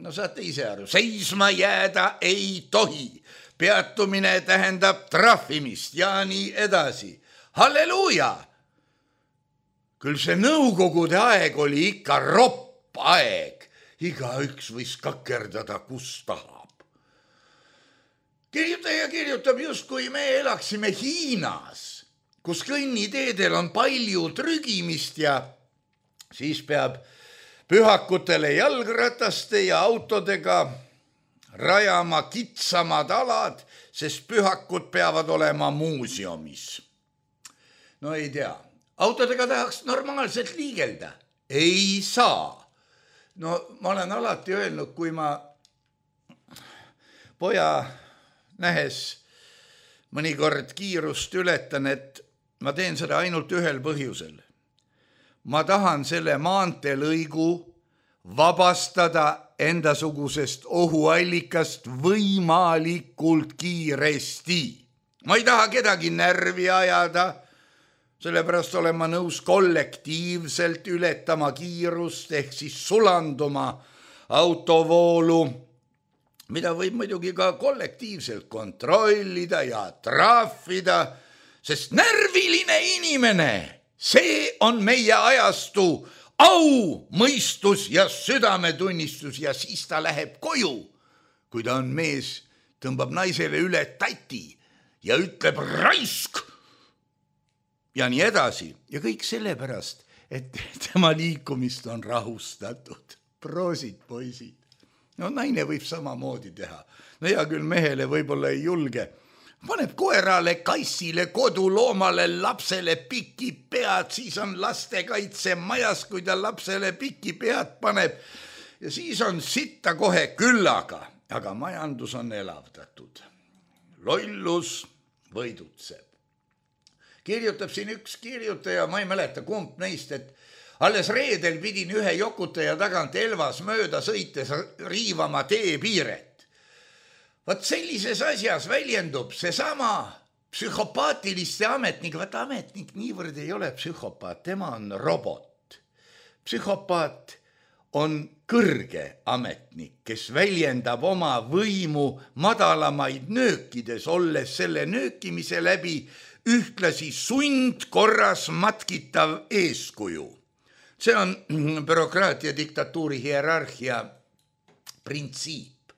no saate ise aru, seisma jääda ei tohi. Peatumine tähendab trahvimist ja nii edasi. Halleluuja! Küll see nõukogude aeg oli ikka ropp aeg. Igaüks võis kakerdada, kus tahab. Kirjutaja kirjutab just, kui me elaksime Hiinas, kus kõnniteedel on palju trügimist ja siis peab pühakutele jalgrataste ja autodega rajama kitsamad alad, sest pühakud peavad olema muuseumis. No ei tea, autodega tahaks normaalselt liigelda. Ei saa. No ma olen alati öelnud, kui ma poja nähes mõnikord kiirust ületan, et ma teen seda ainult ühel põhjusel. Ma tahan selle maanteelõigu vabastada endasugusest ohuallikast võimalikult kiiresti. Ma ei taha kedagi närvi ajada, sellepärast olen ma nõus kollektiivselt ületama kiirust ehk siis sulanduma autovoolu, mida võib muidugi ka kollektiivselt kontrollida ja trahvida, sest närviline inimene, see on meie ajastu au, mõistus ja südametunnistus ja siis ta läheb koju. Kui ta on mees, tõmbab naisele üle tati ja ütleb raisk ja nii edasi. Ja kõik sellepärast, et tema liikumist on rahustatud. Proosid, poisid. No naine võib samamoodi teha. No hea küll mehele võib-olla ei julge. Paneb koerale, kassile, koduloomale, lapsele piki pead, siis on lastekaitse majas, kui ta lapsele piki pead paneb. Ja siis on sitta kohe küllaga, aga majandus on elavdatud. Lollus võidutseb. Kirjutab siin üks kirjutaja, ma ei mäleta kumb neist, et alles reedel pidin ühe jokutaja tagant Elvas mööda sõites riivama teepiiret. Vaat sellises asjas väljendub seesama psühhopaatiliste ametnik. Vaat ametnik niivõrd ei ole psühhopaat, tema on robot. Psühhopaat on kõrge ametnik, kes väljendab oma võimu madalamaid nöökides, olles selle nöökimise läbi ühtlasi sundkorras matkitav eeskuju. See on bürokraatia diktatuuri hierarhia printsiip.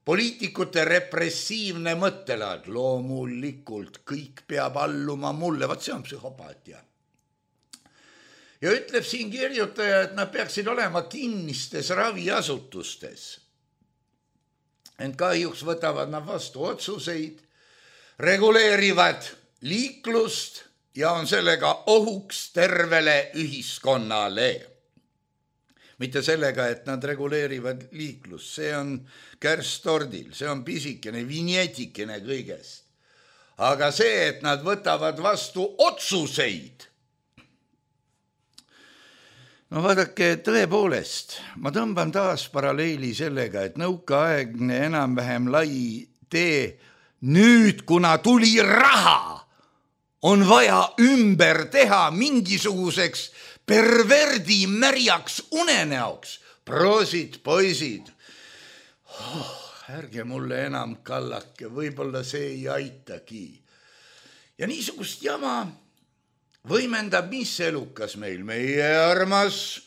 Poliitikute repressiivne mõttelaad, loomulikult kõik peab alluma mulle, vaat see on psühhopaatia. Ja ütleb siin kirjutaja, et nad peaksid olema kinnistes raviasutustes. Ent kahjuks võtavad nad vastu otsuseid, reguleerivad liiklust ja on sellega ohuks tervele ühiskonnale. Mitte sellega, et nad reguleerivad liiklust, see on kärstordil, see on pisikene, vinjetikene kõigest. Aga see, et nad võtavad vastu otsuseid. No vaadake, tõepoolest, ma tõmban taas paralleeli sellega, et nõukaaegne enam-vähem lai tee, nüüd kuna tuli raha, on vaja ümber teha mingisuguseks perverdi märjaks unenäoks. Proosid, poisid. Ärge mulle enam kallake, võib-olla see ei aitagi. Ja niisugust jama võimendab mis elukas meil, meie armas.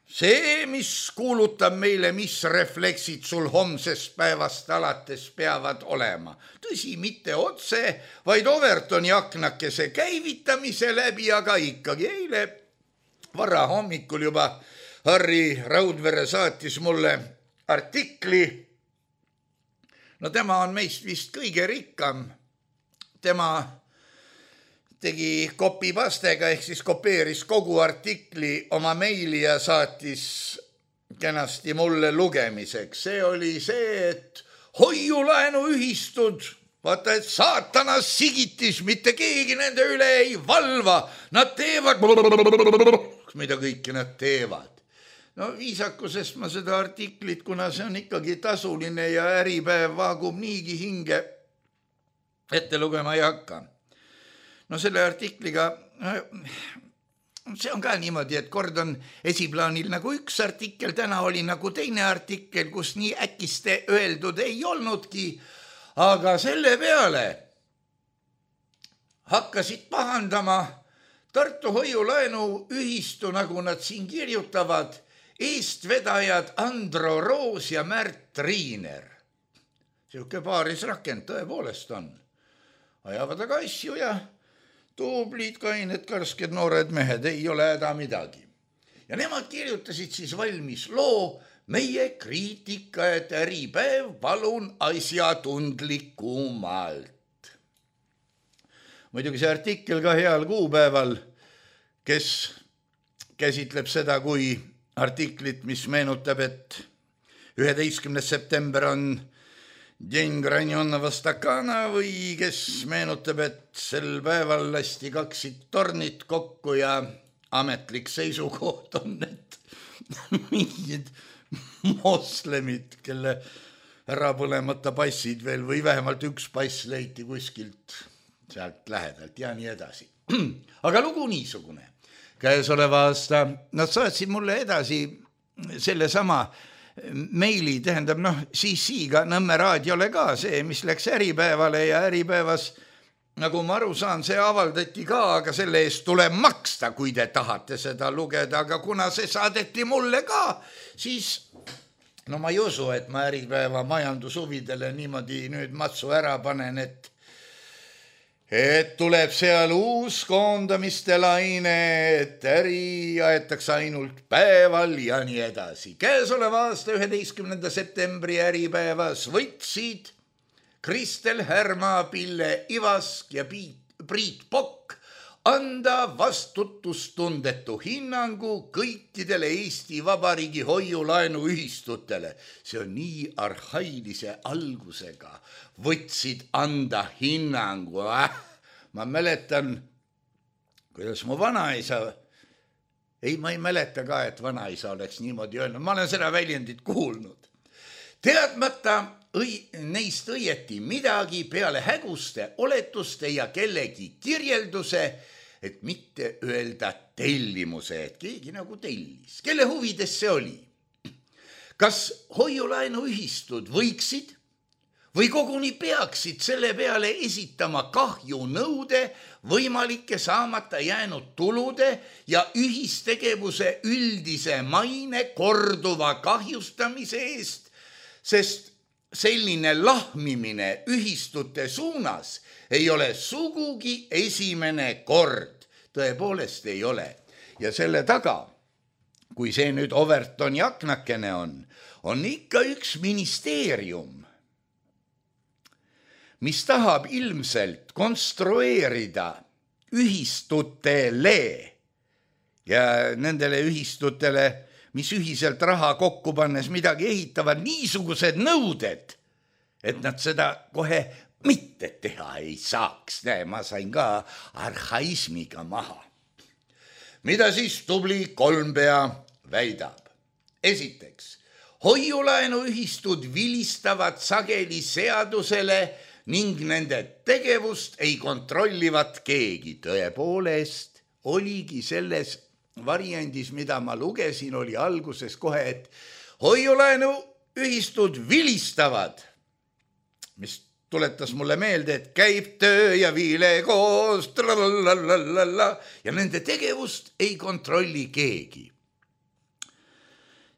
See, mis kuulutab meile, mis refleksid sul homsest päevast alates peavad olema. Tõsi, mitte otse, vaid Overtoni aknakese käivitamise läbi, aga ikkagi eile vara hommikul juba Harri Raudvere saatis mulle artikli. No tema on meist vist kõige rikkam. Tema tegi copy-pastega ehk siis kopeeris kogu artikli oma meili ja saatis kenasti mulle lugemiseks. See oli see, et hoiulaenuühistud, vaata, et saatana sigitis, mitte keegi nende üle ei valva. Nad teevad, mida kõike nad teevad. No viisakusest ma seda artiklit, kuna see on ikkagi tasuline ja Äripäev vaagub niigi hinge, ette lugema ei hakka. No selle artikliga, see on ka niimoodi, et kord on esiplaanil nagu üks artikkel, täna oli nagu teine artikkel, kus nii äkiste öeldud ei olnudki, aga selle peale hakkasid pahandama Tartu hoiulaenuühistu, nagu nad siin kirjutavad, eestvedajad Andro Roos ja Märt Riiner. Siuke paarisrakend tõepoolest on. Ajavad aga asju ja tublid, kained, karsked, noored mehed, ei ole häda midagi. Ja nemad kirjutasid siis valmis loo Meie kriitika, et Äripäev, palun asjatundlikumalt. Muidugi see artikkel ka heal kuupäeval, kes käsitleb seda kui artiklit, mis meenutab, et 11. september on Dень Granjonova Stakana või kes meenutab, et sel päeval lasti 2 tornit kokku ja ametlik seisukoht on, et mingid moslemid, kelle ära põlemata passid veel või vähemalt üks pass leiti kuskilt sealt lähedalt ja nii edasi. Aga lugu niisugune. Käesoleva aasta nad saatsid mulle edasi selle sama meili, tähendab CC-ga Nõmme raadiole ka see, mis läks Äripäevale ja Äripäevas, nagu ma aru saan, see avaldati ka, aga selle eest tuleb maksta, kui te tahate seda lugeda, aga kuna see saadeti mulle ka, siis ma ei usu, et ma Äripäeva majandushuvidele niimoodi nüüd matsu ära panen, et tuleb seal uus koondamiste laine, et äri aetakse ainult päeval ja nii edasi. Käesoleva aasta 11. septembri Äripäevas võtsid Kristel Härma, Pille Ivask ja Priit Pokk anda vastutustundetu hinnangu kõikidele Eesti Vabariigi hoiulaenuühistutele. See on nii arhailise algusega. Võtsid anda hinnangu. Ma mäletan, kuidas mu vanaisa, ma ei mäleta ka, et vanaisa oleks niimoodi öelnud. Ma olen seda väljendit kuulnud. Teadmata neist õieti midagi peale häguste, oletuste ja kellegi kirjelduse, et mitte öelda tellimuse, et keegi nagu tellis. Kelle huvides see oli? Kas hoiulaenuühistud võiksid või koguni peaksid selle peale esitama kahjunõude võimalike saamata jäänud tulude ja ühistegevuse üldise maine korduva kahjustamise eest, sest selline lahmimine ühistute suunas ei ole sugugi esimene kord. Tõepoolest ei ole. Ja selle taga, kui see nüüd Overtoni aknakene on ikka üks ministeerium, mis tahab ilmselt konstrueerida ühistutele ja nendele ühistutele, mis ühiselt raha kokku pannes midagi ehitavad, niisugused nõuded, et nad seda kohe mitte teha ei saaks. Ma sain ka arhaismiga maha. Mida siis tubli Kolmpea väidab? Esiteks, hoiulaenuühistud vilistavad sageli seadusele ning nende tegevust ei kontrollivat keegi. Tõepoolest oligi selles variandis, mida ma lugesin, oli alguses kohe, et hoiulaenuühistud vilistavad, mis tuletas mulle meelde, et käib töö ja viile koos ja nende tegevust ei kontrolli keegi.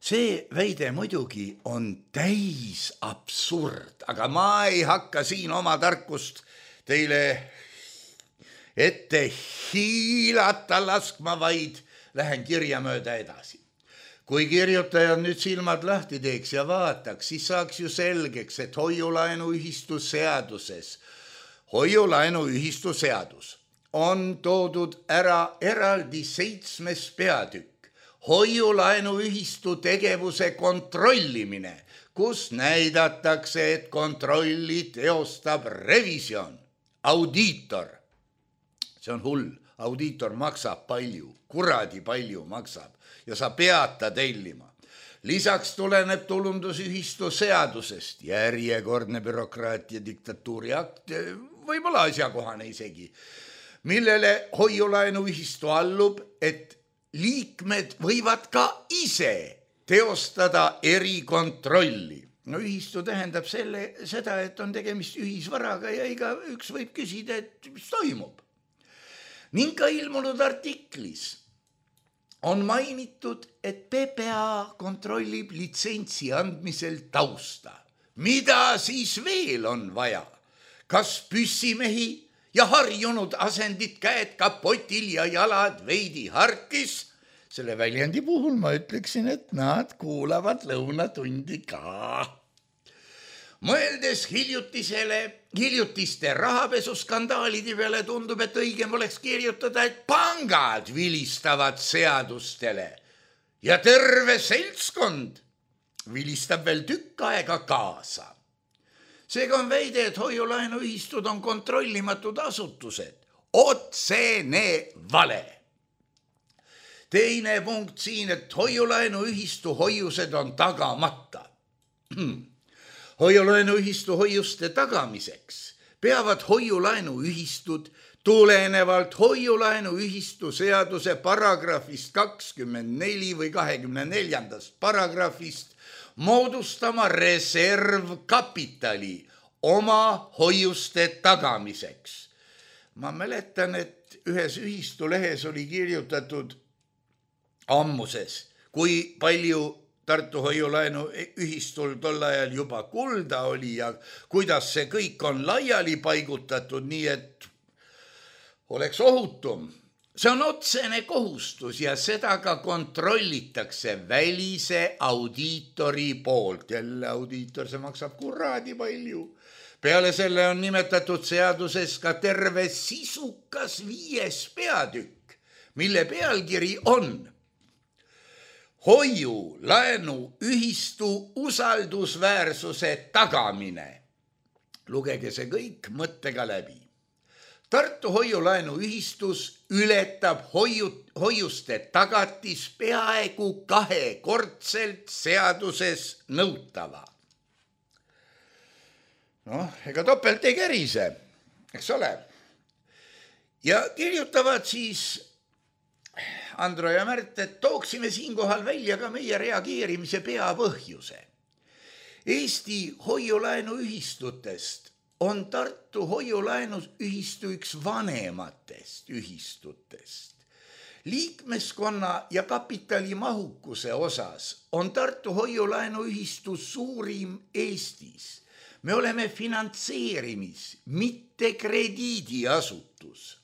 See väide muidugi on täis absurd, aga ma ei hakka siin oma tarkust teile ette hiilata laskma, vaid lähen kirja mööda edasi. Kui kirjutajad nüüd silmad lahti teeks ja vaataks, siis saaks ju selgeks, et hoiulaenuühistu seadus on toodud ära eraldi 7. peatükk, hoiulaenuühistu tegevuse kontrollimine, kus näidatakse, et kontrolli teostab revisjon, audiitor. See on hull, audiitor maksab palju, kuradi palju maksab ja sa pead ta tellima. Lisaks tuleneb tulundusühistu seadusest järjekordne bürokraatia diktatuuri akt, võib-olla asjakohane isegi, millele hoiulaenuühistu allub, et liikmed võivad ka ise teostada erikontrolli. No ühistu tähendab seda, et on tegemist ühisvaraga ja igaüks võib küsida, et mis toimub. Ning ka ilmunud artiklis on mainitud, et PPA kontrollib litsentsi andmisel tausta. Mida siis veel on vaja? Kas püssimehi ja harjunud asendid käed kapotil ja jalad veidi harkis? Selle väljendi puhul ma ütleksin, et nad kuulavad lõunatundi ka. Mõeldes hiljutiste rahapesuskandaalide peale tundub, et õigem oleks kirjutada, et pangad vilistavad seadustele ja terve seltskond vilistab veel tükk aega kaasa. Seega on väide, et hoiulaenuühistud on kontrollimatud asutused. Otsene vale. Teine punkt siin, et hoiulaenuühistu hoiused on tagamata. Hoiulaenuühistu hoiuste tagamiseks peavad hoiulaenuühistud tulenevalt hoiulaenuühistu seaduse paragrahvist 24 või 24. paragrahvist moodustama reservkapitali oma hoiuste tagamiseks. Ma mäletan, et ühes ühistu lehes oli kirjutatud ammuses, kui palju Tartu hoiulaenuühistul tol ajal juba kulda oli ja kuidas see kõik on laiali paigutatud, nii et oleks ohutum. See on otsene kohustus ja seda ka kontrollitakse välise audiitori poolt. Jälle audiitor, see maksab kuradi palju. Peale selle on nimetatud seaduses ka terve sisukas 5. peatükk, mille pealkiri on hoiulaenuühistu usaldusväärsuse tagamine. Lugege see kõik mõttega läbi. Tartu hoiulaenuühistus ületab hoiuste tagatis peaaegu 2-kordselt seaduses nõutava. Ega topelt ei kärise, eks ole. Ja kirjutavad siis Andro ja Märt, et tooksime siinkohal välja ka meie reageerimise peapõhjuse. Eesti hoiulaenuühistutest on Tartu hoiulaenuühistu üks vanematest ühistutest. Liikmeskonna ja kapitali mahukuse osas on Tartu hoiulaenuühistu suurim Eestis. Me oleme finantseerimis, mitte krediidiasutus.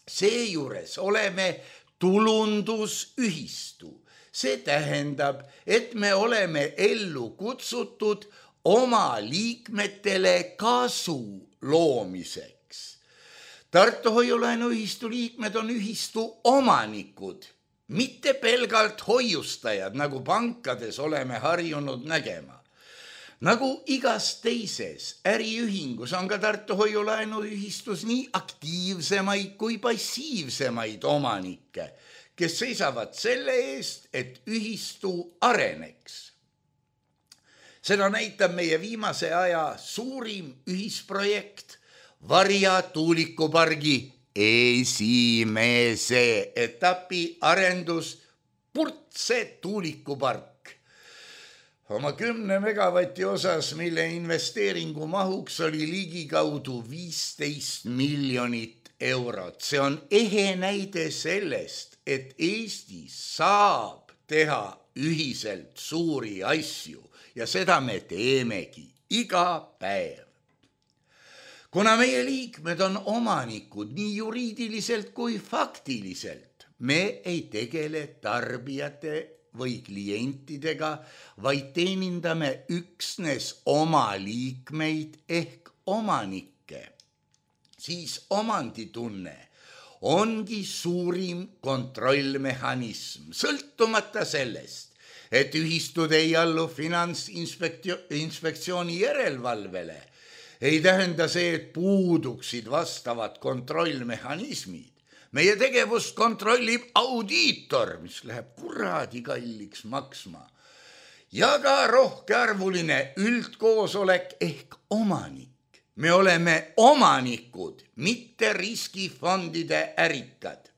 Seejuures oleme tulundusühistu. See tähendab, et me oleme ellu kutsutud oma liikmetele kasu loomiseks. Tartu hoiulaenuühistu liikmed on ühistu omanikud, mitte pelgalt hoiustajad, nagu pankades oleme harjunud nägema. Nagu igas teises äriühingus on ka Tartu hoiulaenuühistus nii aktiivsemaid kui passiivsemaid omanikke, kes seisavad selle eest, et ühistu areneks. Seda näitab meie viimase aja suurim ühisprojekt Varja tuulikupargi esimese etapi arendus Purtse tuulikupark. Oma 10 megavati osas, mille investeeringu mahuks oli ligikaudu 15 miljonit eurot. See on ehe näide sellest, et Eestis saab teha ühiselt suuri asju ja seda me teemegi iga päev. Kuna meie liikmed on omanikud nii juriidiliselt kui faktiliselt, me ei tegele tarbijate või klientidega, vaid teenindame üksnes oma liikmeid ehk omanikke. Siis omanditunne ongi suurim kontrollmehhanism, sõltumata sellest, et ühistud ei allu finantsinspektsiooni järelevalvele, ei tähenda see, et puuduksid vastavad kontrollmehhanismid. Meie tegevust kontrollib audiitor, mis läheb kuradi kalliks maksma, ja ka rohkearvuline üldkoosolek ehk omanik. Me oleme omanikud, mitte riskifondide ärikad.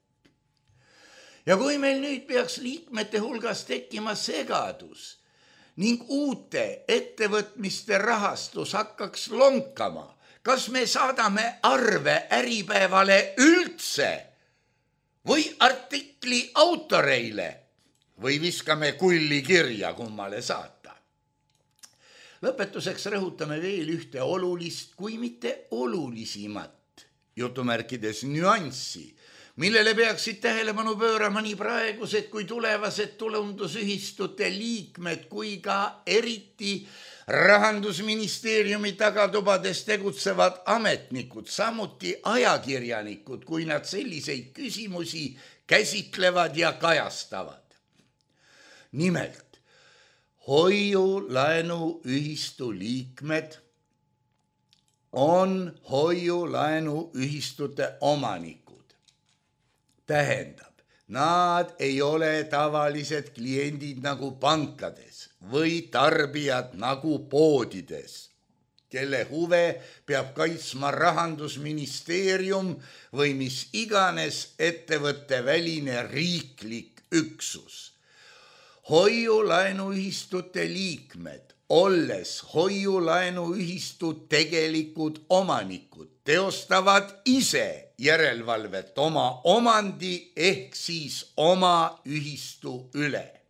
Ja kui meil nüüd peaks liikmete hulgas tekkima segadus ning uute ettevõtmiste rahastus hakkaks lonkama, kas me saadame arve Äripäevale üldse või artikli autoreile või viskame kulli kirja, kummale saata? Lõpetuseks rõhutame veel ühte olulist, kui mitte olulisimat, jutumärkides nüanssi, millele peaksid tähelepanu pöörama nii praegused kui tulevased tulundusühistute liikmed kui ka eriti Rahandusministeeriumi tagatubades tegutsevad ametnikud, samuti ajakirjanikud, kui nad selliseid küsimusi käsitlevad ja kajastavad. Nimelt, hoiu-laenuühistu liikmed on hoiu-laenuühistute omanikud. Tähendab, nad ei ole tavalised kliendid nagu pankades või tarbijad nagu poodides, kelle huve peab kaitsma Rahandusministeerium või mis iganes ettevõtte väline riiklik üksus. Hoiu-laenuühistute liikmed, olles hoiu-laenuühistu tegelikud omanikud, teostavad ise järelevalvet oma omandi ehk siis oma ühistu üle.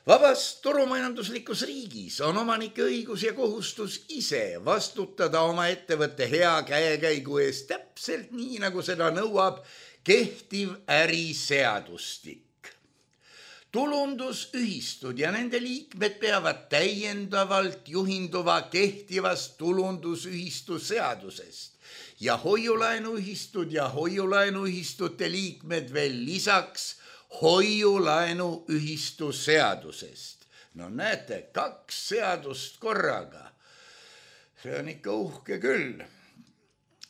Vabas turumajanduslikus riigis on omanike õigus ja kohustus ise vastutada oma ettevõtte hea käekäigu eest täpselt nii, nagu seda nõuab kehtiv äriseadustik. Tulundusühistud ja nende liikmed peavad täiendavalt juhinduva kehtivast tulundusühistu seadusest ja hoiulaenuühistud ja hoiulaenuühistute liikmed veel lisaks hoiulaenuühistu seadusest. No näete, 2 seadust korraga. See on ikka uhke küll.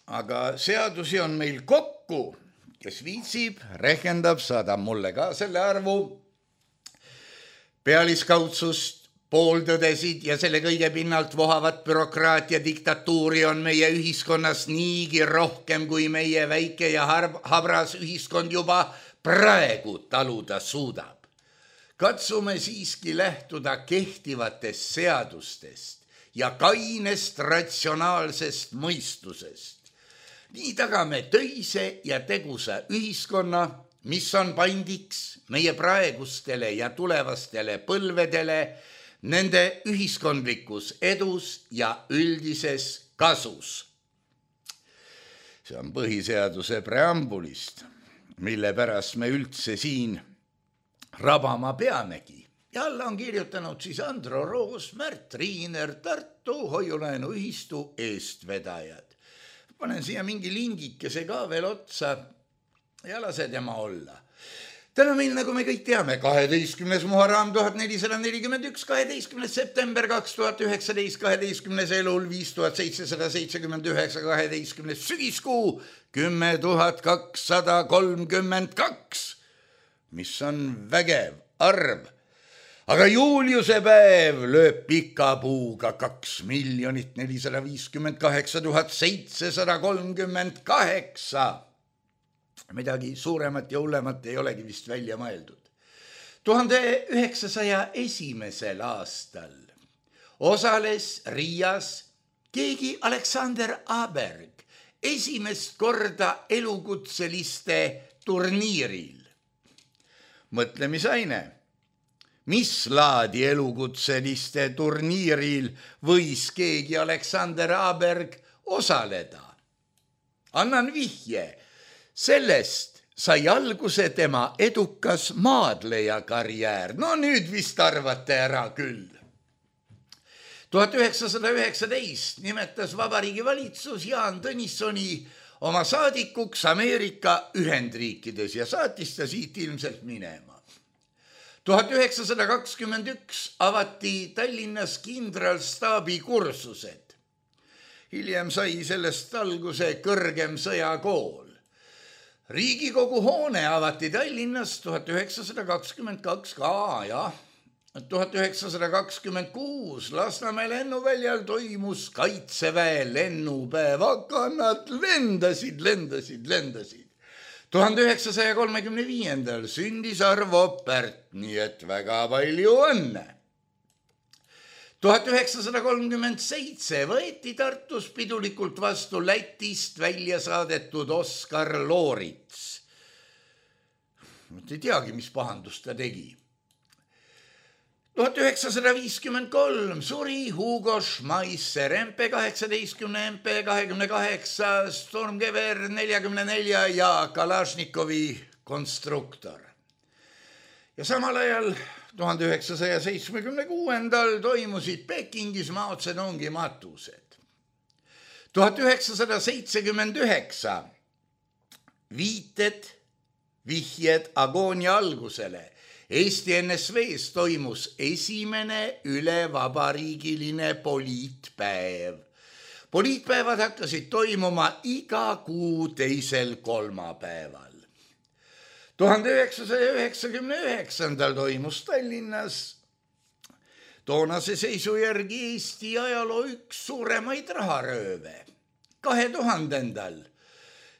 Aga seadusi on meil kokku, kes viitsib, rehkendab, saadab mulle ka selle arvu. Pealiskaudsust, pooltõdesid ja selle kõige pinnalt vohavat bürokraatia diktatuuri on meie ühiskonnas niigi rohkem, kui meie väike ja habras ühiskond juba praegu taluda suudab. Katsume siiski lähtuda kehtivatest seadustest ja kainest ratsionaalsest mõistusest. Nii tagame töise ja tegusa ühiskonna, mis on pandiks meie praegustele ja tulevastele põlvedele, nende ühiskondlikus edus ja üldises kasus. See on põhiseaduse preambulist, mille pärast me üldse siin rabama peamegi. Ja alla on kirjutanud siis Andro Roos, Märt Riiner, Tartu hoiulaenuühistu eestvedajad. Panen siia mingi lingikese ka veel otsa ja lase tema olla. Täna meil, nagu me kõik teame, 12. Muharram 1441, 12. september 2019, 12. elul 5779, 12. sügiskuu 10232, mis on vägev arv. Aga Juliuse päev lööb pika puuga 2 458 738. Midagi suuremat ja hullemat ei olegi vist välja mõeldud. 1901. aastal osales Riias keegi Alexander Aberg esimest korda elukutseliste turniiril. Mõtlemisaine, mis laadi elukutseliste turniiril võis keegi Alexander Aberg osaleda? Annan vihje. Sellest sai alguse tema edukas maadleja karjäär. No nüüd vist arvate ära küll. 1919 nimetas Vabariigi Valitsus Jaan Tõnissoni oma saadikuks Ameerika Ühendriikides ja saatis ta siit ilmselt minema. 1921 avati Tallinnas kindralstaabi kursused. Hiljem sai sellest alguse kõrgem sõjakool. Riigikogu hoone avati Tallinnas 1922 ka, jah. 1926 Lasnamäe lennuväljal toimus Kaitseväe lennupäev, aga nad lendasid. 1935 sündis Arvo Pärt, nii et väga palju õnne. 1937 võeti Tartus pidulikult vastu Lätist välja saadetud Oskar Loorits. Ei teagi, mis pahandust ta tegi. 1953 suri Hugo Schmeisser, MP-18, MP-28, Stormgewehr 44 ja Kalašnikovi konstruktor. Ja samal ajal 1976 toimusid Pekingis Mao Zedongi matused. 1979 vihjed agoonia algusele. Eesti NSV-s toimus esimene ülevabariigiline poliitpäev. Poliitpäevad hakkasid toimuma iga kuu teisel kolmapäeval. 1999 toimus Tallinnas toonase seisu järgi Eesti ajaloo üks suuremaid raharööve. 2000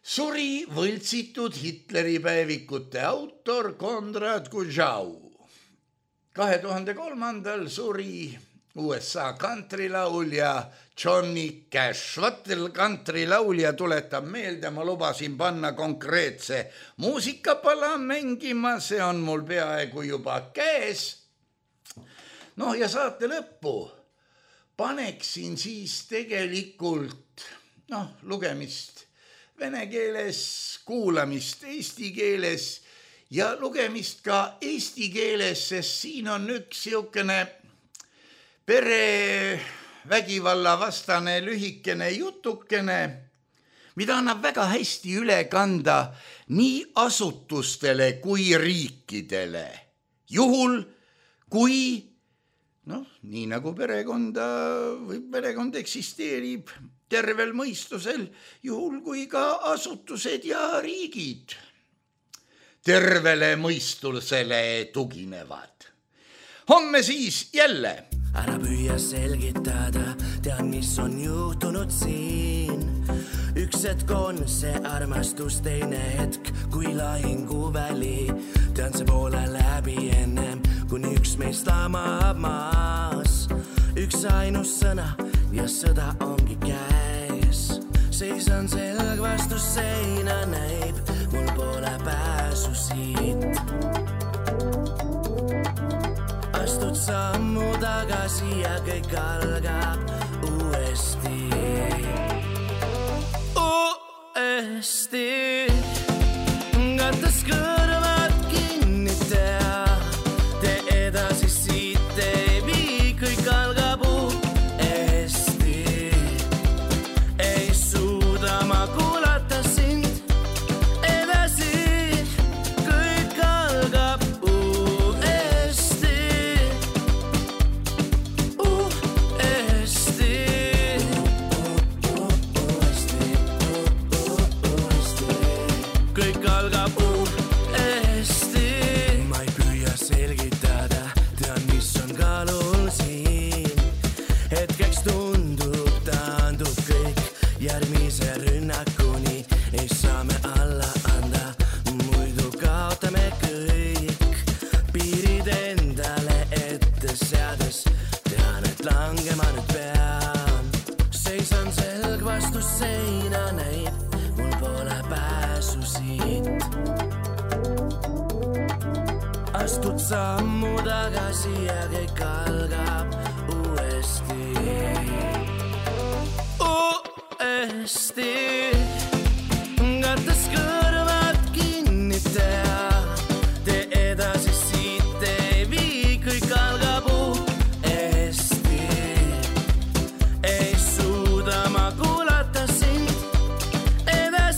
suri võltsitud Hitleri päevikute autor Konrad Kujau. 2003 suri USA kantrilaulja Johnny Cash. Vatel kantrilaulja tuletab meelde, ma lubasin panna konkreetse muusikapala mängima, see on mul peaaegu juba käes. No ja saate lõppu paneksin siis tegelikult lugemist vene keeles, kuulamist eesti keeles ja lugemist ka eesti keeles, sest siin on üks siukene perevägivalla vastane lühikene jutukene, mida annab väga hästi üle kanda nii asutustele kui riikidele. Juhul, kui, nii nagu perekond eksisteerib tervel mõistusel, juhul kui ka asutused ja riigid tervele mõistusele tuginevad. Homme siis jälle. Ära püüa selgitada, tean, mis on juhtunud siin. Üks hetk on see armastus, teine hetk kui lahinguväli. Tean, see poole läbi ennem, kuni üks meist lamab maas. Üks ainus sõna ja sõda ongi käes. Seisan selg vastu seina, näib, mul pole pääsu siit. Astud sammu tagasi ja kõik algab uuesti. Kattes kõrvad kinni tea, tee edasi siit ei vii, kõik algab uuesti. Ei suuda ma kuulata sind edasi, kõik algab uuesti. Kõik algab uuesti. Ma ei püüa selgitada, tean, mis on kaalul siin. Hetkeks tundub, taandub kõik järgmise rünnakuni. Ei saa me alla anda, muidu kaotame kõik. Piirid endale ette seades, tean, et langema nüüd pean. Seisan selg vastu seina, näib, mul pole pääsu siit. Astud sammu tagasi ja kõik algab uuesti. Kattes kõrvad kinni tea, tee edasi siit ei vii, kõik algab uuesti. Ei suuda ma kuulata sind edasi.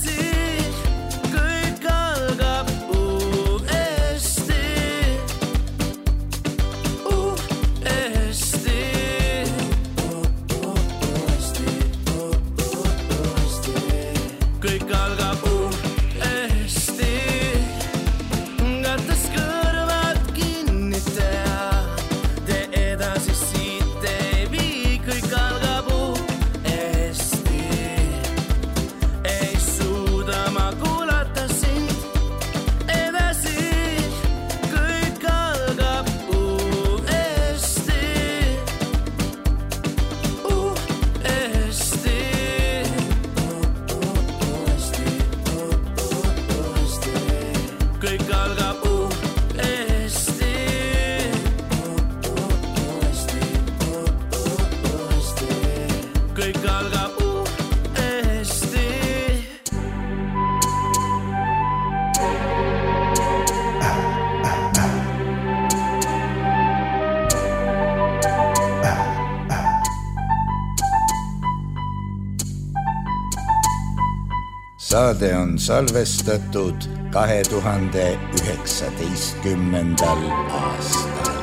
saade on salvestatud 2019. aastal.